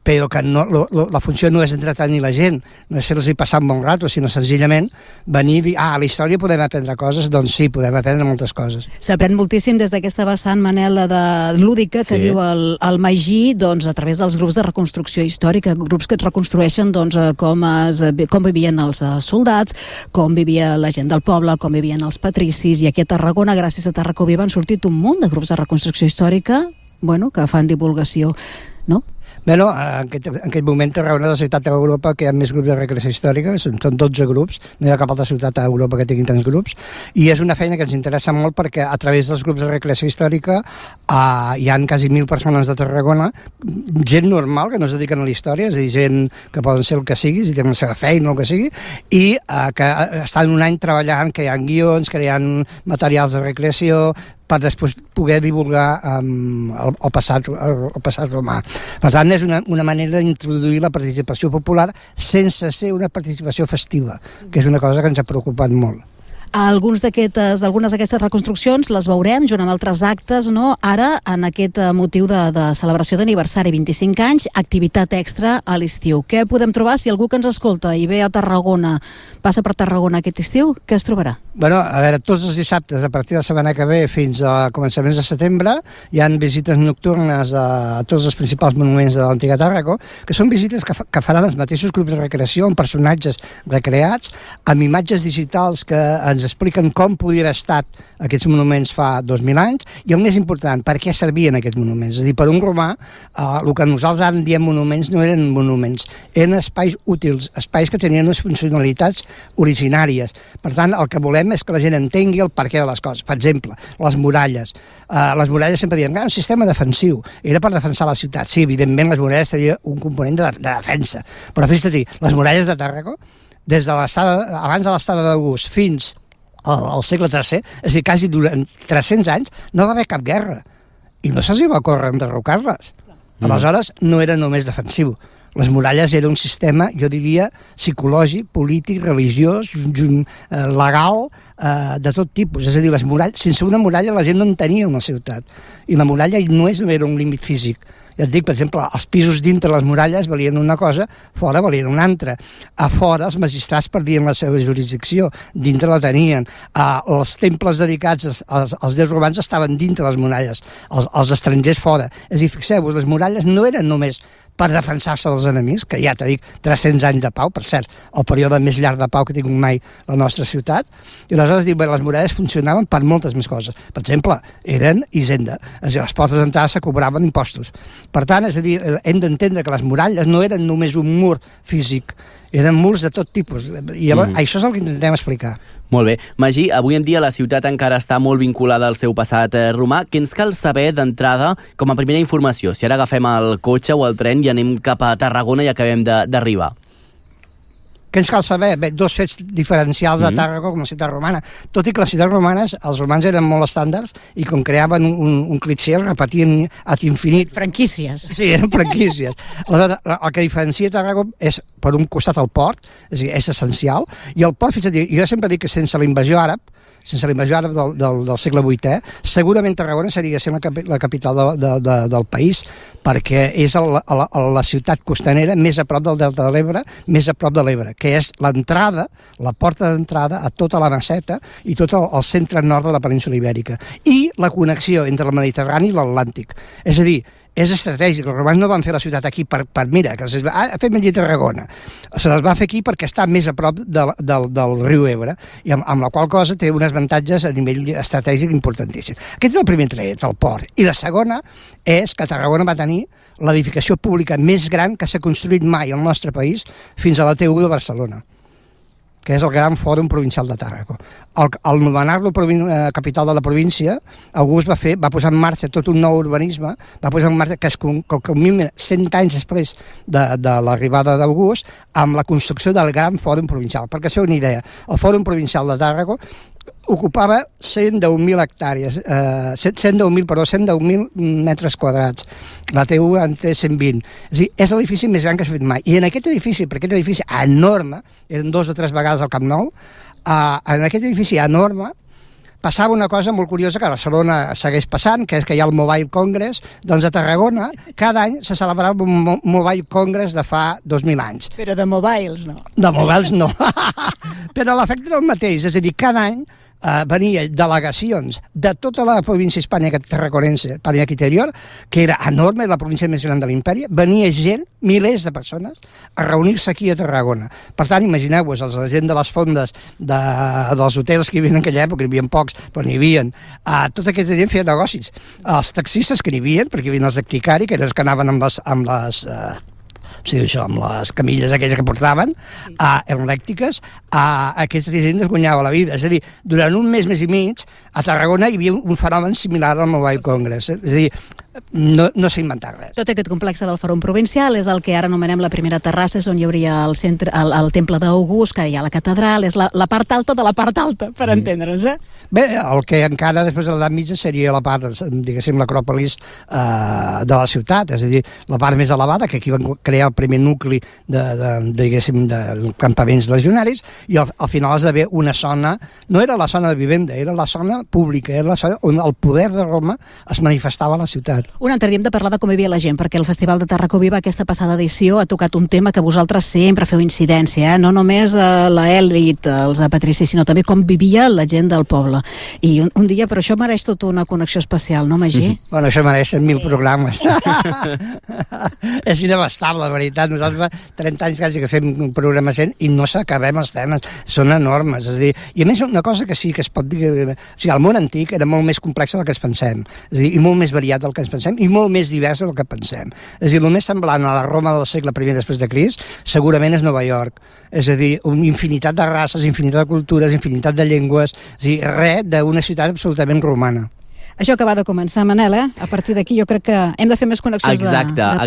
però que la funció no és entretenir la gent, no és fer-los passar un bon rato, sinó senzillament venir i dir, a la història podem aprendre coses, doncs sí, podem aprendre moltes coses. S'aprèn moltíssim des d'aquesta vessant, Manel, de lúdica, que diu el Magí, doncs, a través dels grups de reconstrucció històrica, grups que et reconstrueixen doncs, com vivien els soldats, com vivia la gent del poble, com vivien els patricis, i aquí a Tarragona, gràcies a Tàrraco Viva, han sortit un munt de grups de reconstrucció històrica, que fan divulgació, no? Bé, no, en aquest moment Tarragona és la ciutat d'Europa que hi ha més grups de recreació històrica, són 12 grups, no hi ha cap altra ciutat a Europa que tinguin tants grups, i és una feina que ens interessa molt perquè a través dels grups de recreació històrica hi han quasi 1.000 persones de Tarragona, gent normal que no es dediquen a la història, és a dir, gent que poden ser el que sigui, si tenen la seva feina o el que sigui, i que estan un any treballant, creant guions, creant materials de recreació, per després poder divulgar el passat romà. Per tant, és una manera d'introduir la participació popular sense ser una participació festiva, que és una cosa que ens ha preocupat molt. Algunes d'aquestes reconstruccions les veurem junt amb altres actes, no? Ara, en aquest motiu de celebració d'aniversari, 25 anys, activitat extra a l'estiu. Què podem trobar si algú que ens escolta i ve a Tarragona, passa per Tarragona aquest estiu, què es trobarà? Bueno, a veure, tots els dissabtes, a partir de la setmana que ve fins a començaments de setembre, hi han visites nocturnes a tots els principals monuments de l'antiga Tàrraco, que són visites que faran els mateixos grups de recreació, amb personatges recreats, amb imatges digitals que ens expliquen com podien haver estat aquests monuments fa 2.000 anys, i el més important, per què servien aquests monuments. És a dir, per un romà, el que nosaltres ara en diem monuments no eren monuments, eren espais útils, espais que tenien unes funcionalitats originàries. Per tant, el que volem és que la gent entengui el perquè de les coses. Per exemple, les muralles. Les muralles sempre diuen, un sistema defensiu, era per defensar la ciutat. Sí, evidentment, les muralles tenien un component de defensa. Però fixa't, les muralles de Tàrraco, des de abans de l'estada d'August fins al segle III, és a dir, quasi durant 300 anys, no va haver cap guerra. I no se'ls va córrer enderrocar-les. Aleshores, no era només defensiu. Les muralles era un sistema, jo diria, psicològic, polític, religiós, legal, de tot tipus. És a dir, les muralles, sense una muralla la gent no en tenia una ciutat. I la muralla no era un límit físic. Ja et dic, per exemple, els pisos dintre les muralles valien una cosa, fora valien una altra. A fora els magistrats perdien la seva jurisdicció, dintre la tenien. Els temples dedicats als déus romans estaven dintre les muralles, els estrangers fora. És a dir, fixeu-vos, les muralles no eren només per defensar-se dels enemics, que ja t'he dit, 300 anys de pau, per cert, el període més llarg de pau que ha tingut mai la nostra ciutat, i aleshores dic, les muralles funcionaven per moltes més coses. Per exemple, eren hisenda, és a dir, les portes d'entrada se cobraven impostos. Per tant, és a dir, hem d'entendre que les muralles no eren només un mur físic, eren murs de tot tipus, i llavors, això és el que intentem explicar. Molt bé. Magí, avui en dia la ciutat encara està molt vinculada al seu passat romà. Què ens cal saber d'entrada com a primera informació? Si ara agafem el cotxe o el tren i anem cap a Tarragona i acabem d'arribar. Què ens cal saber? Bé, dos fets diferencials de Tàrrega com a ciutat romana. Tot i que les ciutats romanes, els romans eren molt estàndards i com creaven un clitxer, el repetien ad infinit. Franquícies. Sí, eren franquícies. Aleshores, el que diferencia Tàrrega és, per un costat, el port, és a dir, és essencial, i el port, fins a dir, jo sempre dic que sense la invasió àrab del segle VIII, segurament Tarragona seria sent la capital del país, perquè és la ciutat costanera més a prop del Delta de l'Ebre, més a prop de l'Ebre, que és l'entrada, la porta d'entrada a tota la Meseta i tot el centre nord de la península Ibèrica, i la connexió entre el Mediterrani i l'Atlàntic. És a dir, és estratègic. Els romans no van fer la ciutat aquí per mira, que fem allí Tarragona. Se les va fer aquí perquè està més a prop del riu Ebre, i amb la qual cosa té uns avantatges a nivell estratègic importantíssim. Aquest és el primer tret, el port. I la segona és que Tarragona va tenir l'edificació pública més gran que s'ha construït mai al nostre país fins a la T1 de Barcelona, que és el gran fòrum provincial de Tàrrega. Al nomenar-lo capital de la província, August va posar en marxa tot un nou urbanisme, va posar en marxa que es culmina 100 anys després de l'arribada d'August, amb la construcció del gran fòrum provincial. Perquè això és una idea. El fòrum provincial de Tàrrega ocupava 110.000 hectàrees, 110.000 metres quadrats. La T1 en té 120. És a dir, és l'edifici més gran que s'ha fet mai. I en aquest edifici, perquè aquest edifici enorme, eren 2 o 3 vegades al Camp Nou, en aquest edifici enorme passava una cosa molt curiosa que a Barcelona segueix passant, que és que hi ha el Mobile Congress. Doncs a Tarragona cada any se celebrava un Mobile Congress de fa 2.000 anys. Però de mobiles no. De mobiles no. Però l'efecte era el mateix, és a dir, cada any venia delegacions de tota la província hispànica tarragonense, Pànica Interior, que era enorme, la província més gran de l'imperi, venia gent, milers de persones, a reunir-se aquí a Tarragona. Per tant, imagineu-vos, la gent de les fondes dels hotels que hi havia en aquella època, hi havia pocs, però n'hi havia, tota aquesta gent feia negocis. Els taxistes que n'hi havia, perquè hi havia els acticari, que eren els que anaven amb les camilles aquelles que portaven, elèctriques, aquesta gent es guanyava la vida. És a dir, durant un mes i mig, a Tarragona hi havia un fenomen similar al Mobile Congress. És a dir, no s'ha inventat res. Tot aquest complex del Fòrum Provincial és el que ara anomenem la primera terrassa, és on hi hauria el temple d'August, que hi ha la catedral, és la part alta de la part alta, per entendre'ns, Bé, el que encara després de l'edat mitja seria la part, diguéssim, l'acròpolis de la ciutat, és a dir, la part més elevada, que aquí van crear el primer nucli diguéssim, de campaments legionaris, i al final esdevé una zona, no era la zona de vivenda, era la zona pública, era la zona on el poder de Roma es manifestava a la ciutat. Un altre dia hem de parlar de com vivia la gent, perquè el Festival de Tàrrega Viva, aquesta passada edició, ha tocat un tema que vosaltres sempre feu incidència, no només l'elit, els patricis, sinó també com vivia la gent del poble. I un dia, però això mereix tota una connexió especial, no, Magí? Bueno, això mereix 1.000 programes. És inabastable, la veritat. Nosaltres fa 30 anys quasi que fem programes i no s'acabem els temes. Són enormes. És a dir, i a més, una cosa que sí que es pot dir... O sigui, el món antic era molt més complex del que ens pensem. És a dir, i molt més variat del que ens pensem i molt més divers del que pensem. És a dir, el més semblant a la Roma del segle I després de Crist segurament és Nova York. És a dir, una infinitat de races, infinitat de cultures, infinitat de llengües, és a dir, res d'una ciutat absolutament romana. Això acaba de començar, Manel, A partir d'aquí jo crec que hem de fer més connexions de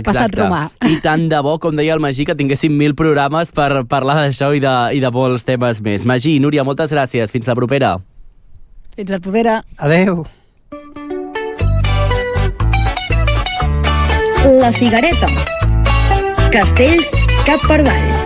passat romà. I tant de bo, com deia el Magí, que tinguéssim 1.000 programes per parlar d'això i de molts temes més. Magí, Núria, moltes gràcies. Fins la propera. Fins la propera. Adéu. La Figuereta. Castells cap per avall.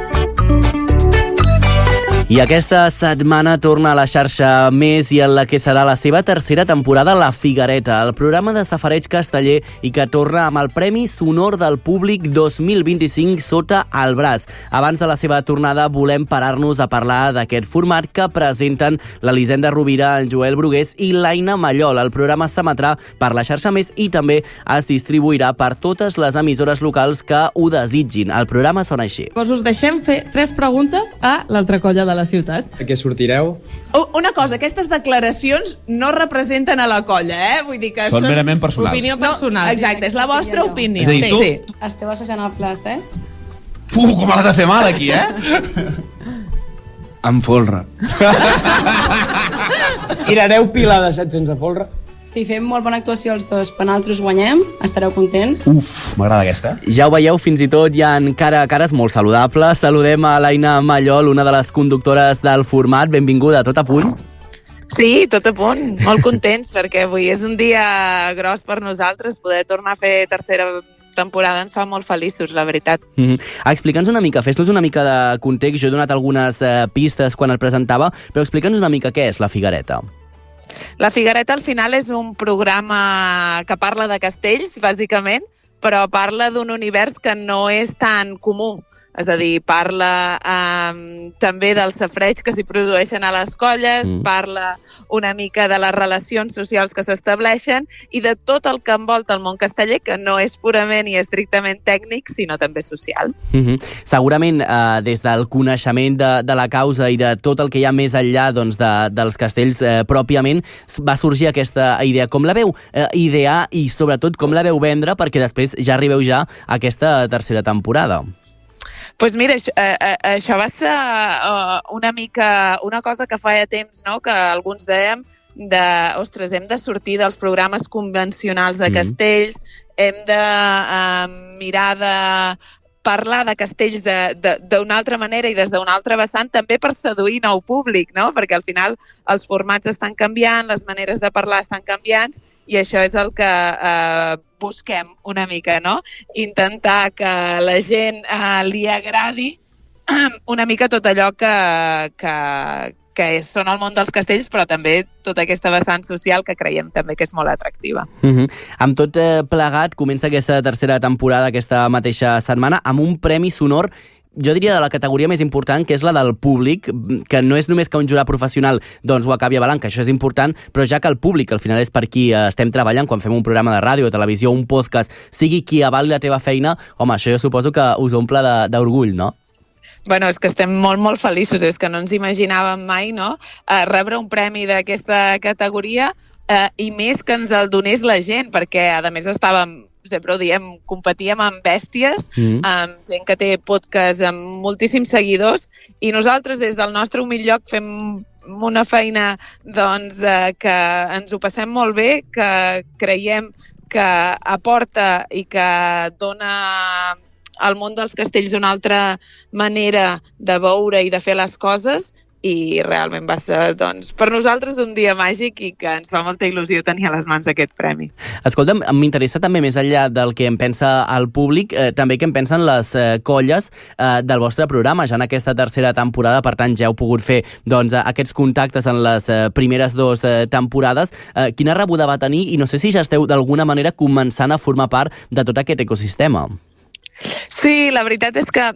I aquesta setmana torna a la xarxa Més i en la que serà la seva tercera temporada La Figuereta, el programa de safareig casteller i que torna amb el Premi Sonor del Públic 2025 sota el braç. Abans de la seva tornada volem parar-nos a parlar d'aquest format que presenten l'Elisenda Rovira, en Joel Brugués i l'Aina Mallol. El programa s'emetrà per la xarxa Més i també es distribuirà per totes les emissores locals que ho desitgin. El programa sona així. Us deixem fer 3 preguntes a l'altra colla de la ciutat. A què sortireu? Una cosa, aquestes declaracions no representen a la colla, Vull dir que són merament personals. Opinió personal. No, exacte, és la vostra opinió. És a dir, tu... Sí. Esteu assajant el plaç, Com l'ha de fer mal, aquí, Amb folre. Tirareu pila de 700 a folre? Si fem molt bona actuació els dos, per nosaltres guanyem, estareu contents. M'agrada aquesta. Ja ho veieu, fins i tot hi ha cares molt saludables. Saludem a l'Aina Mallol, una de les conductores del format. Benvinguda, tot a punt? Sí, tot a punt. Molt contents, perquè avui és un dia gros per nosaltres. Poder tornar a fer tercera temporada ens fa molt feliços, la veritat. Explica'ns una mica, fes-nos una mica de context. Jo he donat algunes pistes quan el presentava, però explica'ns una mica què és La Figuereta. La Figuereta al final és un programa que parla de castells, bàsicament, però parla d'un univers que no és tan comú. És a dir, parla també del safareig que s'hi produeixen a les colles, parla una mica de les relacions socials que s'estableixen i de tot el que envolta el món casteller, que no és purament i estrictament tècnic, sinó també social. Segurament, des del coneixement de la causa i de tot el que hi ha més enllà dels castells pròpiament, va sorgir aquesta idea. Com la veu idear i, sobretot, com la veu vendre perquè després ja arribeu ja a aquesta tercera temporada? Doncs mira, això va ser una cosa que feia temps, no?, que alguns dèiem ostres, hem de sortir dels programes convencionals de castells, hem de mirar de parlar de castells d'una altra manera i des d'una altra vessant, també per seduir nou públic, no?, perquè al final els formats estan canviant, les maneres de parlar estan canviant, i això és el que busquem una mica, no? Intentar que la gent li agradi una mica tot allò que són el món dels castells, però també tota aquesta vessant social que creiem també que és molt atractiva. Amb tot plegat, comença aquesta tercera temporada aquesta mateixa setmana amb un premi sonor, jo diria de la categoria més important, que és la del públic, que no és només que un jurat professional doncs ho acabi avalant, que això és important, però ja que el públic, al final és per qui estem treballant quan fem un programa de ràdio, televisió, un podcast, sigui qui avali la teva feina, home, això jo suposo que us omple d'orgull, no? Bueno, és que estem molt, molt feliços, és que no ens imaginàvem mai, no?, rebre un premi d'aquesta categoria i més que ens el donés la gent, perquè a més estàvem, sempre ho diem, competíem amb bèsties, amb gent que té podcast amb moltíssims seguidors, i nosaltres des del nostre humil lloc fem una feina doncs, que ens ho passem molt bé, que creiem que aporta i que dona al món dels castells una altra manera de veure i de fer les coses, i realment va ser, doncs, per nosaltres un dia màgic i que ens fa molta il·lusió tenir a les mans aquest premi. Escolta'm, m'interessa també, més enllà del que en pensa el públic, també què en pensen les colles del vostre programa, ja en aquesta tercera temporada, per tant ja heu pogut fer doncs, aquests contactes en les primeres 2 temporades. Quina rebuda va tenir i no sé si ja esteu d'alguna manera començant a formar part de tot aquest ecosistema? Sí, la veritat és que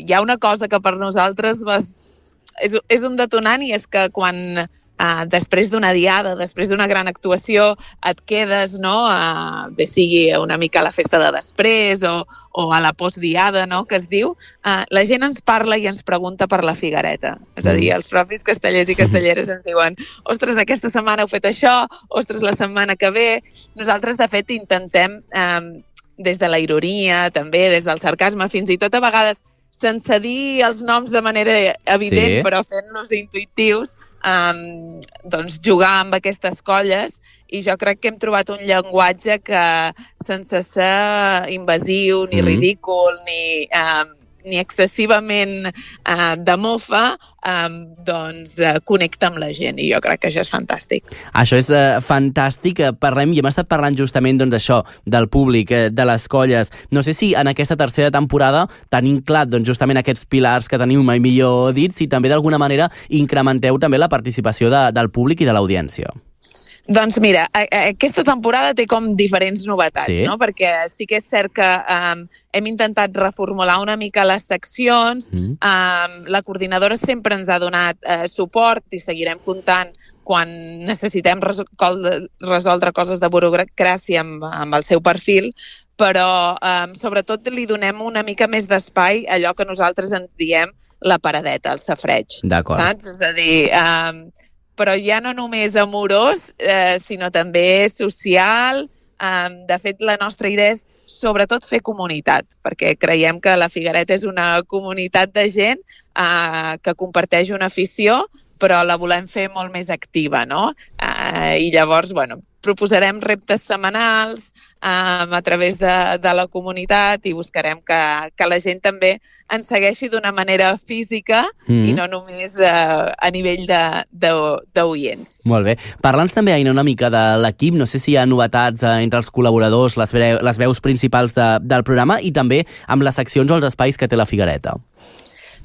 hi ha una cosa que per nosaltres és un detonant, i és que quan després d'una diada, després d'una gran actuació, et quedes, no?, bé sigui una mica a la festa de després o a la postdiada, no?, que es diu, la gent ens parla i ens pregunta per la Figuereta. És a dir, els propis castellers i castelleres ens diuen ostres, aquesta setmana heu fet això, ostres, la setmana que ve. Nosaltres, de fet, intentem des de la ironia, també, des del sarcasme, fins i tot a vegades sense dir els noms de manera evident, però fent-los intuitius, doncs jugar amb aquestes colles, i jo crec que hem trobat un llenguatge que sense ser invasiu, ni ridícul, ni excessivament de mofa, doncs connecta amb la gent, i jo crec que això és fantàstic. Això és fantàstic. Parlem, i hem estat parlant justament doncs, això, del públic, de les colles. No sé si en aquesta tercera temporada tenim clar doncs, justament aquests pilars que teniu mai millor dits, i també d'alguna manera incrementeu també la participació del públic i de l'audiència. Doncs mira, aquesta temporada té com diferents novetats, no? Perquè sí que és cert que hem intentat reformular una mica les seccions, la coordinadora sempre ens ha donat suport i seguirem comptant quan necessitem resoldre coses de burocràcia amb el seu perfil, però sobretot li donem una mica més d'espai a allò que nosaltres en diem la paradeta, el safareig. D'acord. Saps? És a dir, però ja no només amorós, sinó també social. De fet, la nostra idea és sobretot fer comunitat, perquè creiem que la Figuereta és una comunitat de gent que comparteix una afició, però la volem fer molt més activa, no? I llavors, bueno, proposarem reptes setmanals a través de la comunitat i buscarem que la gent també ens segueixi d'una manera física i no només a nivell d'oients. Molt bé. Parla'ns també, Aina, una mica de l'equip. No sé si hi ha novetats entre els col·laboradors, les veus principals del programa i també amb les seccions o els espais que té la Figuereta.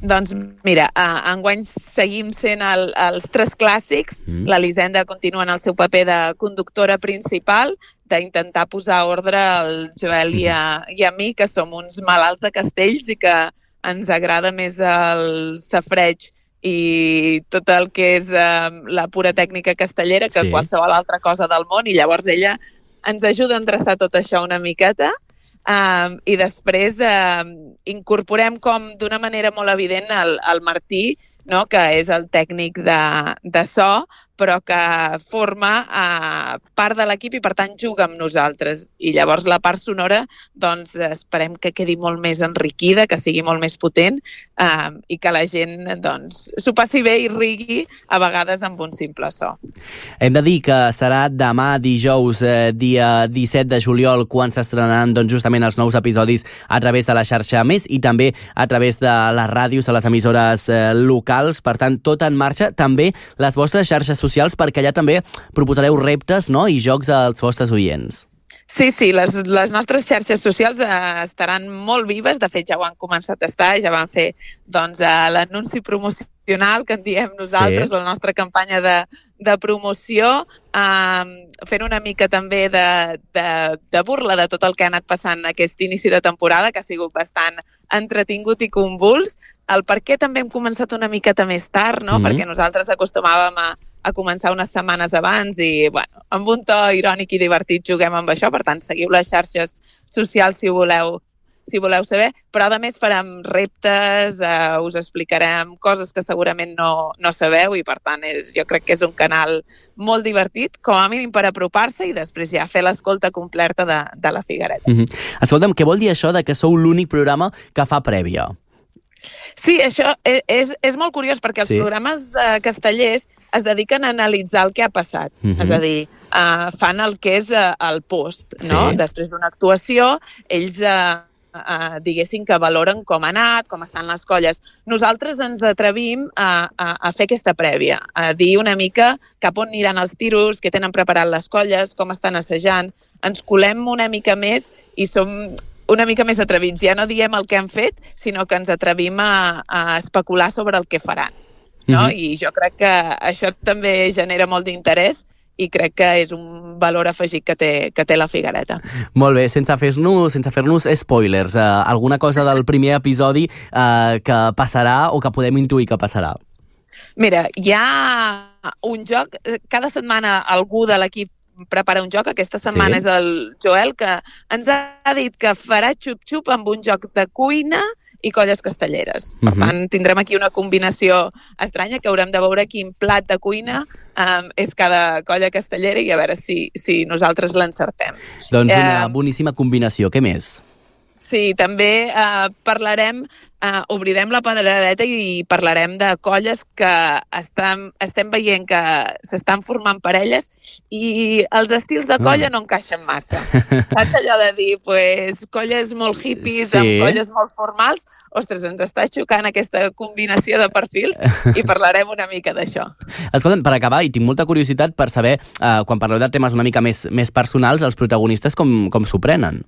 Doncs mira, enguany seguim sent els tres clàssics. L'Elisenda continua en el seu paper de conductora principal, d'intentar posar ordre al Joel i a mi, que som uns malalts de castells i que ens agrada més el safareig i tot el que és la pura tècnica castellera que qualsevol altra cosa del món, i llavors ella ens ajuda a endreçar tot això una miqueta. I després incorporem com d'una manera molt evident el Martí, no? Que és el tècnic de so, però que forma part de l'equip i per tant juga amb nosaltres. I llavors la part sonora doncs esperem que quedi molt més enriquida, que sigui molt més potent i que la gent doncs s'ho passi bé i rigui a vegades amb un simple so. Hem de dir que serà demà dijous, dia 17 de juliol, quan s'estrenaran doncs, justament els nous episodis a través de la xarxa Més i també a través de les ràdios, a les emissores locals. Per tant, tot en marxa. També les vostres xarxes socials, perquè allà també proposareu reptes, no? I jocs als vostres oients. Sí, les nostres xarxes socials estaran molt vives. De fet, ja ho han començat a estar. Ja van fer doncs, l'anunci promocional que en diem nosaltres, la nostra campanya de promoció, fent una mica també de burla de tot el que ha anat passant aquest inici de temporada, que ha sigut bastant entretingut i convuls. El per què també hem començat una miqueta més tard, no? Perquè nosaltres acostumàvem a començar unes setmanes abans i, bueno, amb un to irònic i divertit juguem amb això. Per tant, seguiu les xarxes socials si voleu saber, però a més farem reptes, us explicarem coses que segurament no sabeu i per tant jo crec que és un canal molt divertit, com a mínim per apropar-se i després ja fer l'escolta completa de la Figuereta. Escolta'm, què vol dir això de que sou l'únic programa que fa prèvia? Sí, això és molt curiós perquè els programes castellers es dediquen a analitzar el que ha passat. És a dir, fan el que és el post, no? Després d'una actuació, ells diguéssim que valoren com ha anat, com estan les colles. Nosaltres ens atrevim a fer aquesta prèvia, a dir una mica cap on aniran els tiros, què tenen preparat les colles, com estan assajant. Ens colem una mica més i som una mica més atrevits. Ja no diem el que han fet, sinó que ens atrevim a especular sobre el que faran. No? I jo crec que això també genera molt d'interès i crec que és un valor afegit que té la Figuereta. Molt bé, sense fer-nos spoilers, alguna cosa del primer episodi que passarà o que podem intuir que passarà? Mira, hi ha un joc, cada setmana algú de l'equip prepara un joc. Aquesta setmana és el Joel, que ens ha dit que farà xup-xup amb un joc de cuina i colles castelleres. Per tant, tindrem aquí una combinació estranya que haurem de veure quin plat de cuina és cada colla castellera i a veure si nosaltres l'encertem. Doncs una boníssima combinació. Què més? Sí, també parlarem, obrirem la pedradeta i parlarem de colles que estem veient que s'estan formant parelles i els estils de colla no encaixen massa. Saps allò de dir, pues, colles molt hippies amb colles molt formals? Ostres, ens està xocant aquesta combinació de perfils i parlarem una mica d'això. Escolta'm, per acabar, i tinc molta curiositat per saber, quan parleu de temes una mica més personals, els protagonistes com s'ho prenen?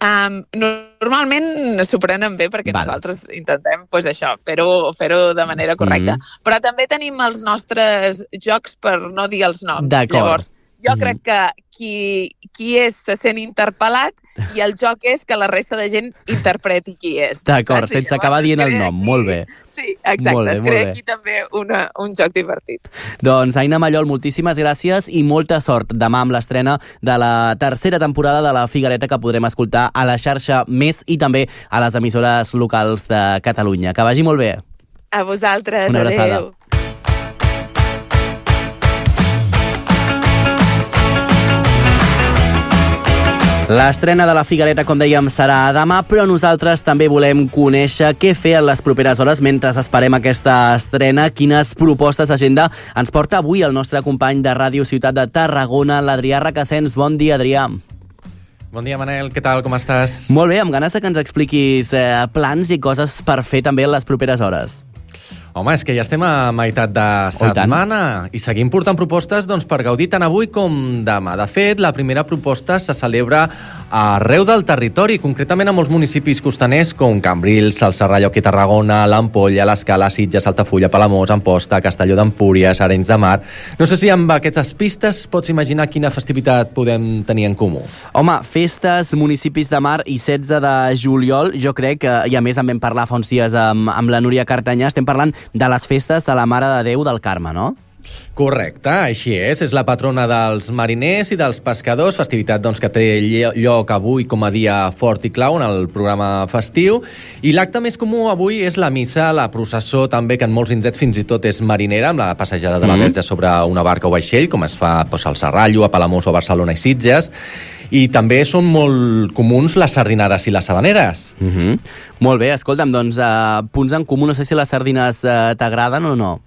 Normalment s'ho prenen bé perquè nosaltres intentem fer-ho de manera correcta, però també tenim els nostres jocs per no dir els noms. Llavors, jo crec que qui és se sent interpel·lat i el joc és que la resta de gent interpreti qui és. D'acord, sense acabar dient el nom, molt bé. Sí, exacte, es crea aquí també un joc divertit. Doncs Aina Mallol, moltíssimes gràcies i molta sort demà amb l'estrena de la tercera temporada de La Figuereta que podrem escoltar a la xarxa Més i també a les emissores locals de Catalunya. Que vagi molt bé. A vosaltres, una abraçada. Adéu. L'estrena de La Figuereta, com dèiem, serà demà, però nosaltres també volem conèixer què fer en les properes hores mentre esperem aquesta estrena. Quines propostes d'agenda ens porta avui el nostre company de Ràdio Ciutat de Tarragona, l'Adrià Requesens. Bon dia, Adrià. Bon dia, Manel. Què tal? Com estàs? Molt bé, amb ganes de que ens expliquis plans i coses per fer també en les properes hores. Home, és que ja estem a meitat de setmana i seguim portant propostes per gaudir tant avui com demà. De fet, la primera proposta se celebra arreu del territori, concretament a molts municipis costaners com Cambrils, el Serrallonga i Tarragona, l'Ampolla, l'Escala, Sitges, Altafulla, Palamós, Amposta, Castelló d'Empúries, Arenys de Mar. No sé si amb aquestes pistes pots imaginar quina festivitat podem tenir en comú. Home, festes, municipis de mar i 16 de juliol, jo crec que, i a més en vam parlar fa uns dies amb la Núria Cartanyà, estem parlant de les festes de la Mare de Déu del Carme, no? Correcte, així és la patrona dels mariners i dels pescadors, festivitat que té lloc avui com a dia fort i clau en el programa festiu, i l'acte més comú avui és la missa, la processó també, que en molts indrets fins i tot és marinera, amb la passejada de la Verge sobre una barca o vaixell, com es fa al Serrallo, a Palamós o Barcelona i Sitges, i també són molt comuns les sardinades i les sabaneres. Molt bé, escolta'm, doncs punts en comú, no sé si les sardines t'agraden o no.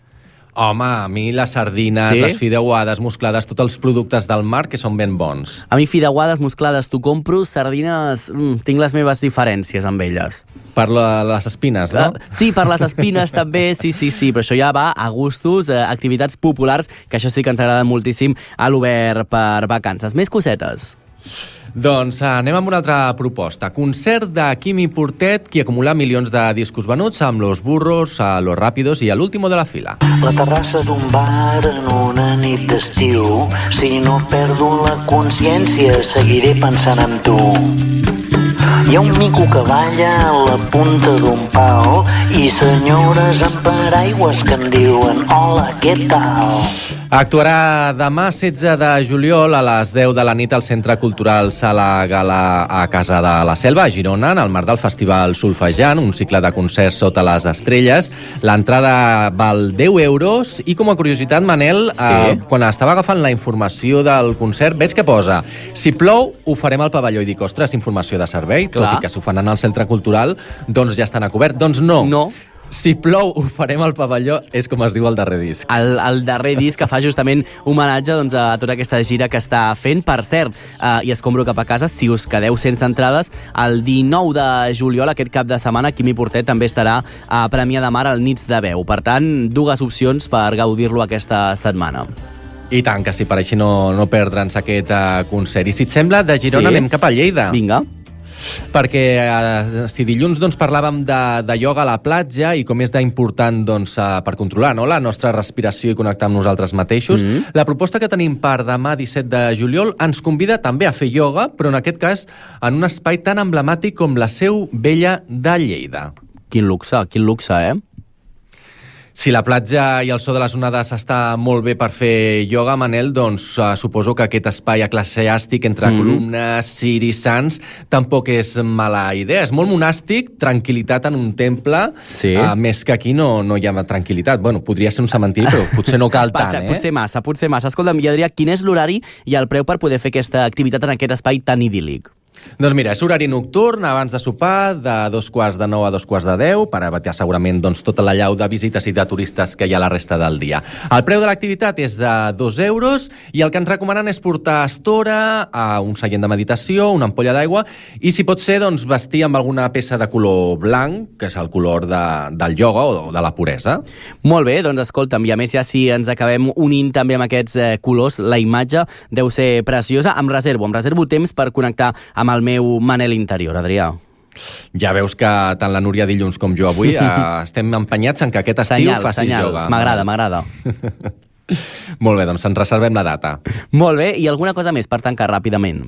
Home, a mi les sardines, les fideuades, musclades, tots els productes del mar que són ben bons. A mi fideuades, musclades, t'ho compro, sardines, tinc les meves diferències amb elles. Per les espines, no? Sí, per les espines també, sí, però això ja va a gustos, activitats populars, que això sí que ens agraden moltíssim a l'Obert per vacances. Més cosetes. Doncs anem amb una altra proposta. Concert de Quimi Portet, qui acumula milions de discos venuts amb Los Burros, Los Rápidos i l'último de la fila. La terrassa d'un bar en una nit d'estiu. Si no perdo la consciència, seguiré pensant en tu. Hi ha un mico que balla a la punta d'un pal i senyores amb paraigües que em diuen hola, què tal? Actuarà demà 16 de juliol a les 10 de la nit al Centre Cultural Sala Gala a Casa de la Selva, a Girona, en el marc del Festival Solfejant, un cicle de concerts sota les estrelles. L'entrada val 10 euros i, com a curiositat, Manel, quan estava agafant la informació del concert, veig que posa: si plou, ho farem al pavelló. I dic, ostres, informació de servei, tot i que s'ho fan en el Centre Cultural, doncs ja estan a cobert. Doncs no. Si plou, ho farem al pavelló, és com es diu el darrer disc. El darrer disc que fa justament homenatge a tota aquesta gira que està fent. Per cert, i escombro cap a casa, si us quedeu sense entrades, el 19 de juliol, aquest cap de setmana, Quimi Portet també estarà a Premià de Mar al Nits de Veu. Per tant, dues opcions per gaudir-lo aquesta setmana. I tant, que sí, per així no perdre'ns aquest concert. I si et sembla, de Girona anem cap a Lleida. Vinga. Perquè si dilluns parlàvem de ioga a la platja i com és d'important per controlar la nostra respiració i connectar amb nosaltres mateixos, la proposta que tenim per demà 17 de juliol ens convida també a fer ioga, però en aquest cas en un espai tan emblemàtic com la Seu Vella de Lleida. Quin luxe, eh? Si la platja i el so de les onades està molt bé per fer ioga, Manel, doncs suposo que aquest espai eclesiàstic entre columnes, ciris, sants, tampoc és mala idea. És molt monàstic, tranquil·litat en un temple, més que aquí no hi ha tranquil·litat. Bueno, podria ser un cementiri, però potser no cal tant, Potser massa. Escolta'm, Adrià, quin és l'horari i el preu per poder fer aquesta activitat en aquest espai tan idíl·lic? Doncs mira, és horari nocturn, abans de sopar, de 8:45 a 10:15, per evitar segurament tota la llau de visites i de turistes que hi ha la resta del dia. El preu de l'activitat és de 2 euros i el que ens recomanen és portar estora, un seient de meditació, una ampolla d'aigua i, si pot ser, doncs, vestir amb alguna peça de color blanc, que és el color del ioga o de la puresa. Molt bé, doncs escolta'm, i a més ja si ens acabem unint també amb aquests colors, la imatge deu ser preciosa. Em reservo temps per connectar amb el meu Manel interior, Adrià. Ja veus que tant la Núria dilluns com jo avui estem empenyats en que aquest estiu facis ioga. M'agrada. Molt bé, doncs ens reservem la data. Molt bé, i alguna cosa més per tancar ràpidament?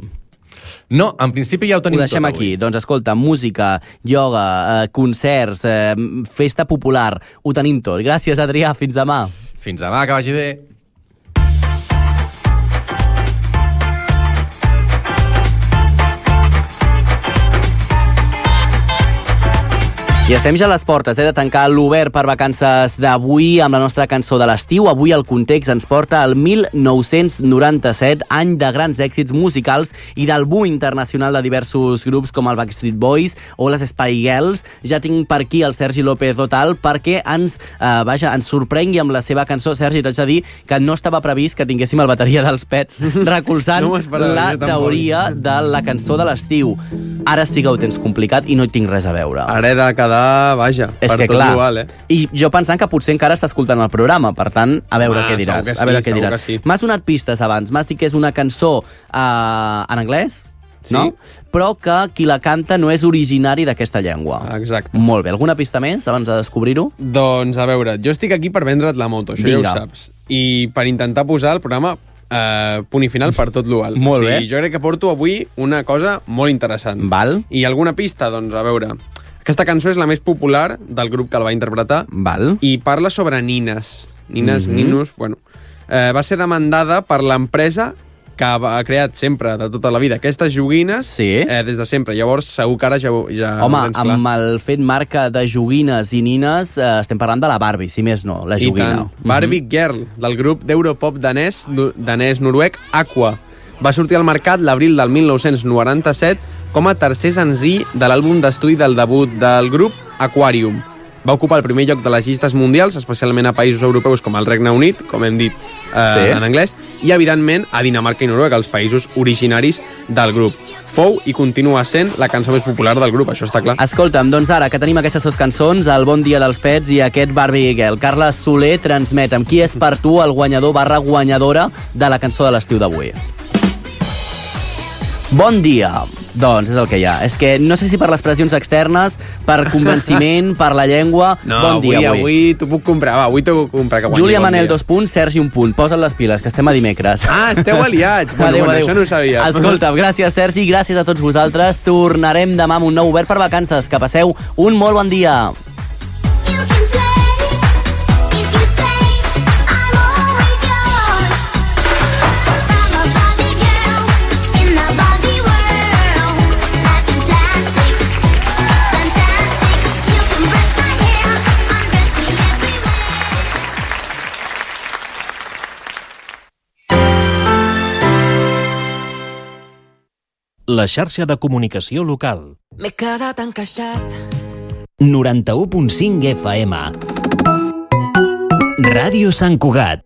No, en principi ja ho tenim tot avui. Ho deixem aquí. Doncs escolta, música, ioga, concerts, festa popular, ho tenim tot. Gràcies, Adrià, fins demà. Fins demà, que vagi bé. I estem ja a les portes de tancar l'Obert per vacances d'avui amb la nostra cançó de l'estiu. Avui el context ens porta al 1997, any de grans èxits musicals i del boom internacional de diversos grups com el Backstreet Boys o les Spice Girls. Ja tinc per aquí el Sergi López Otal perquè ens sorprengui amb la seva cançó. Sergi, t'haig de dir que no estava previst que tinguéssim el bateria dels Pets recolzant la teoria de la cançó de l'estiu. Ara sí que ho tens complicat i no hi tinc res a veure. Ara he de quedar, vaja, és per que, tot igual, I jo pensant que potser encara està escoltant el programa, per tant, a veure què diràs. Segur que sí. M'has donat pistes abans, m'has dit que és una cançó en anglès, no? Però que qui la canta no és originari d'aquesta llengua. Exacte. Molt bé. Alguna pista més abans de descobrir-ho? Doncs, a veure, jo estic aquí per vendre't la moto, això ja ho saps. I per intentar posar el programa punt i final per tot l'alt. Molt bé. Jo crec que porto avui una cosa molt interessant. Val. I alguna pista? Doncs, a veure, aquesta cançó és la més popular del grup que el va interpretar. Val. I parla sobre nines. Ninos, bueno. Va ser demandada per l'empresa que ha creat sempre, de tota la vida, aquestes joguines, des de sempre. Llavors, segur que ara ja home, amb el fet marca de joguines i nines, estem parlant de la Barbie, si més no, la joguina. Barbie Girl, del grup d'Europop danès-noruec Aqua. Va sortir al mercat l'abril del 1997 com a tercer senzill de l'àlbum d'estudi del debut del grup, Aquarium. Va ocupar el primer lloc de les llistes mundials, especialment a països europeus com el Regne Unit, com hem dit en anglès, i evidentment a Dinamarca i Noruega, els països originaris del grup. Fou i continua sent la cançó més popular del grup, això està clar. Escolta'm, doncs ara que tenim aquestes dues cançons, el Bon dia dels Pets i aquest Barbie Girl, Carles Soler, transmetem qui és per tu el guanyador / guanyadora de la cançó de l'estiu d'avui. Bon dia. Doncs és el que hi ha. És que no sé si per les pressions externes, per convenciment, per la llengua... No, bon dia, avui t'ho puc comprar, va, avui t'ho puc comprar. Júlia Manel, 2 punts, Sergi, 1 punt. Posa't les piles, que estem a dimecres. Ah, esteu aliats. Bueno, això no ho sabia. Escolta, gràcies, Sergi, gràcies a tots vosaltres. Tornarem demà amb un nou Obert per vacances. Que passeu un molt bon dia. La xarxa de comunicació local. M'he quedat encaixat. 91.5 FM. Ràdio Sant Cugat.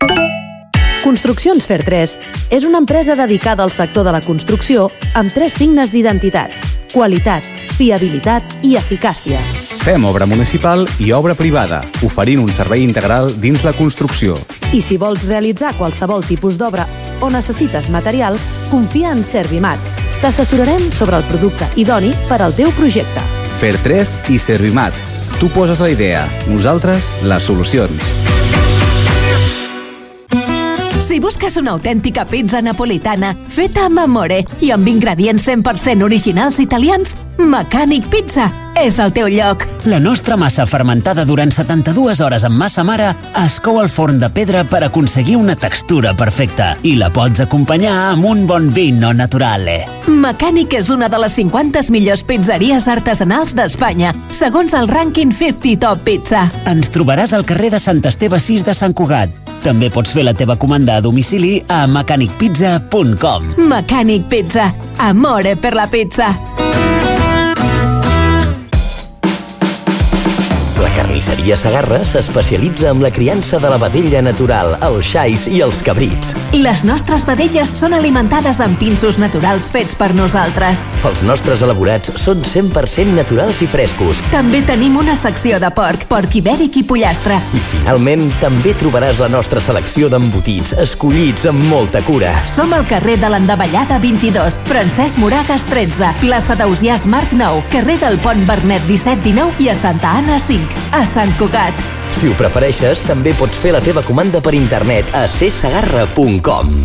Construccions Fer3 és una empresa dedicada al sector de la construcció amb 3 signes d'identitat: qualitat, fiabilitat i eficàcia. Fem obra municipal i obra privada, oferint un servei integral dins la construcció. I si vols realitzar qualsevol tipus d'obra o necessites material, confia en Servimat. T'assessorarem sobre el producte idoni per al teu projecte. Fer3 i Servimat. Tu poses la idea, nosaltres les solucions. Si busques una autèntica pizza napolitana feta amb amore i amb ingredients 100% originals italians, Mecànic Pizza és el teu lloc. La nostra massa fermentada durant 72 hores amb massa mare es cou al forn de pedra per aconseguir una textura perfecta i la pots acompanyar amb un bon vino naturale. Mecànic és una de les 50 millors pizzeries artesanals d'Espanya, segons el rànquing 50 Top Pizza. Ens trobaràs al carrer de Sant Esteve 6 de Sant Cugat. També pots fer la teva comanda a domicili a mecanicpizza.com. Mecànic Pizza. Amore per la pizza. La carnisseria Segarra s'especialitza en la criança de la vedella natural, els xais i els cabrits. Les nostres vedelles són alimentades amb pinsos naturals fets per nosaltres. Els nostres elaborats són 100% naturals i frescos. També tenim una secció de porc ibèric i pollastre. I finalment també trobaràs la nostra selecció d'embotits, escollits amb molta cura. Som al carrer de l'Endavellada 22, Francesc Moragas 13, plaça d'Ausiàs Marc 9, carrer del Pont Bernet 17-19 i a Santa Anna 5. A Sant Cugat. Si ho prefereixes, també pots fer la teva comanda per internet a csegarra.com.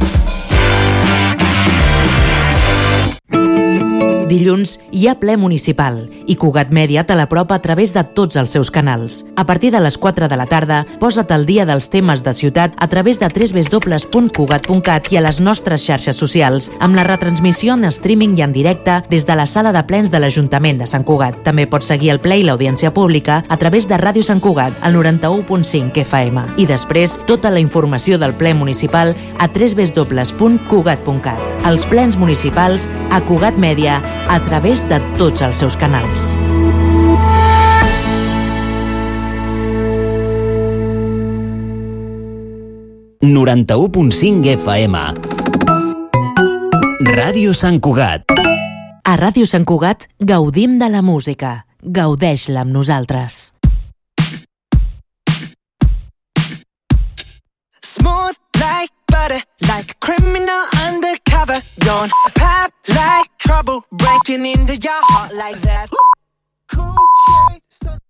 Dilluns hi ha ple municipal i Cugat Mèdia te l'apropa a través de tots els seus canals. A partir de les 4 de la tarda, posa't al dia dels temes de ciutat a través de www.cugat.cat i a les nostres xarxes socials, amb la retransmissió en streaming i en directe des de la sala de plens de l'Ajuntament de Sant Cugat. També pots seguir el ple i l'audiència pública a través de Ràdio Sant Cugat, al 91.5 FM. I després, tota la informació del ple municipal a www.cugat.cat. Els plens municipals a Cugat Mèdia a través de tots els seus canals. FM. Ràdio Sant Cugat. A Ràdio Sant Cugat gaudim de la música. Gaudeix-la amb nosaltres. Smooth like butter, like a criminal undercover. Don't pop like trouble, breaking into your heart like that. Cool shade.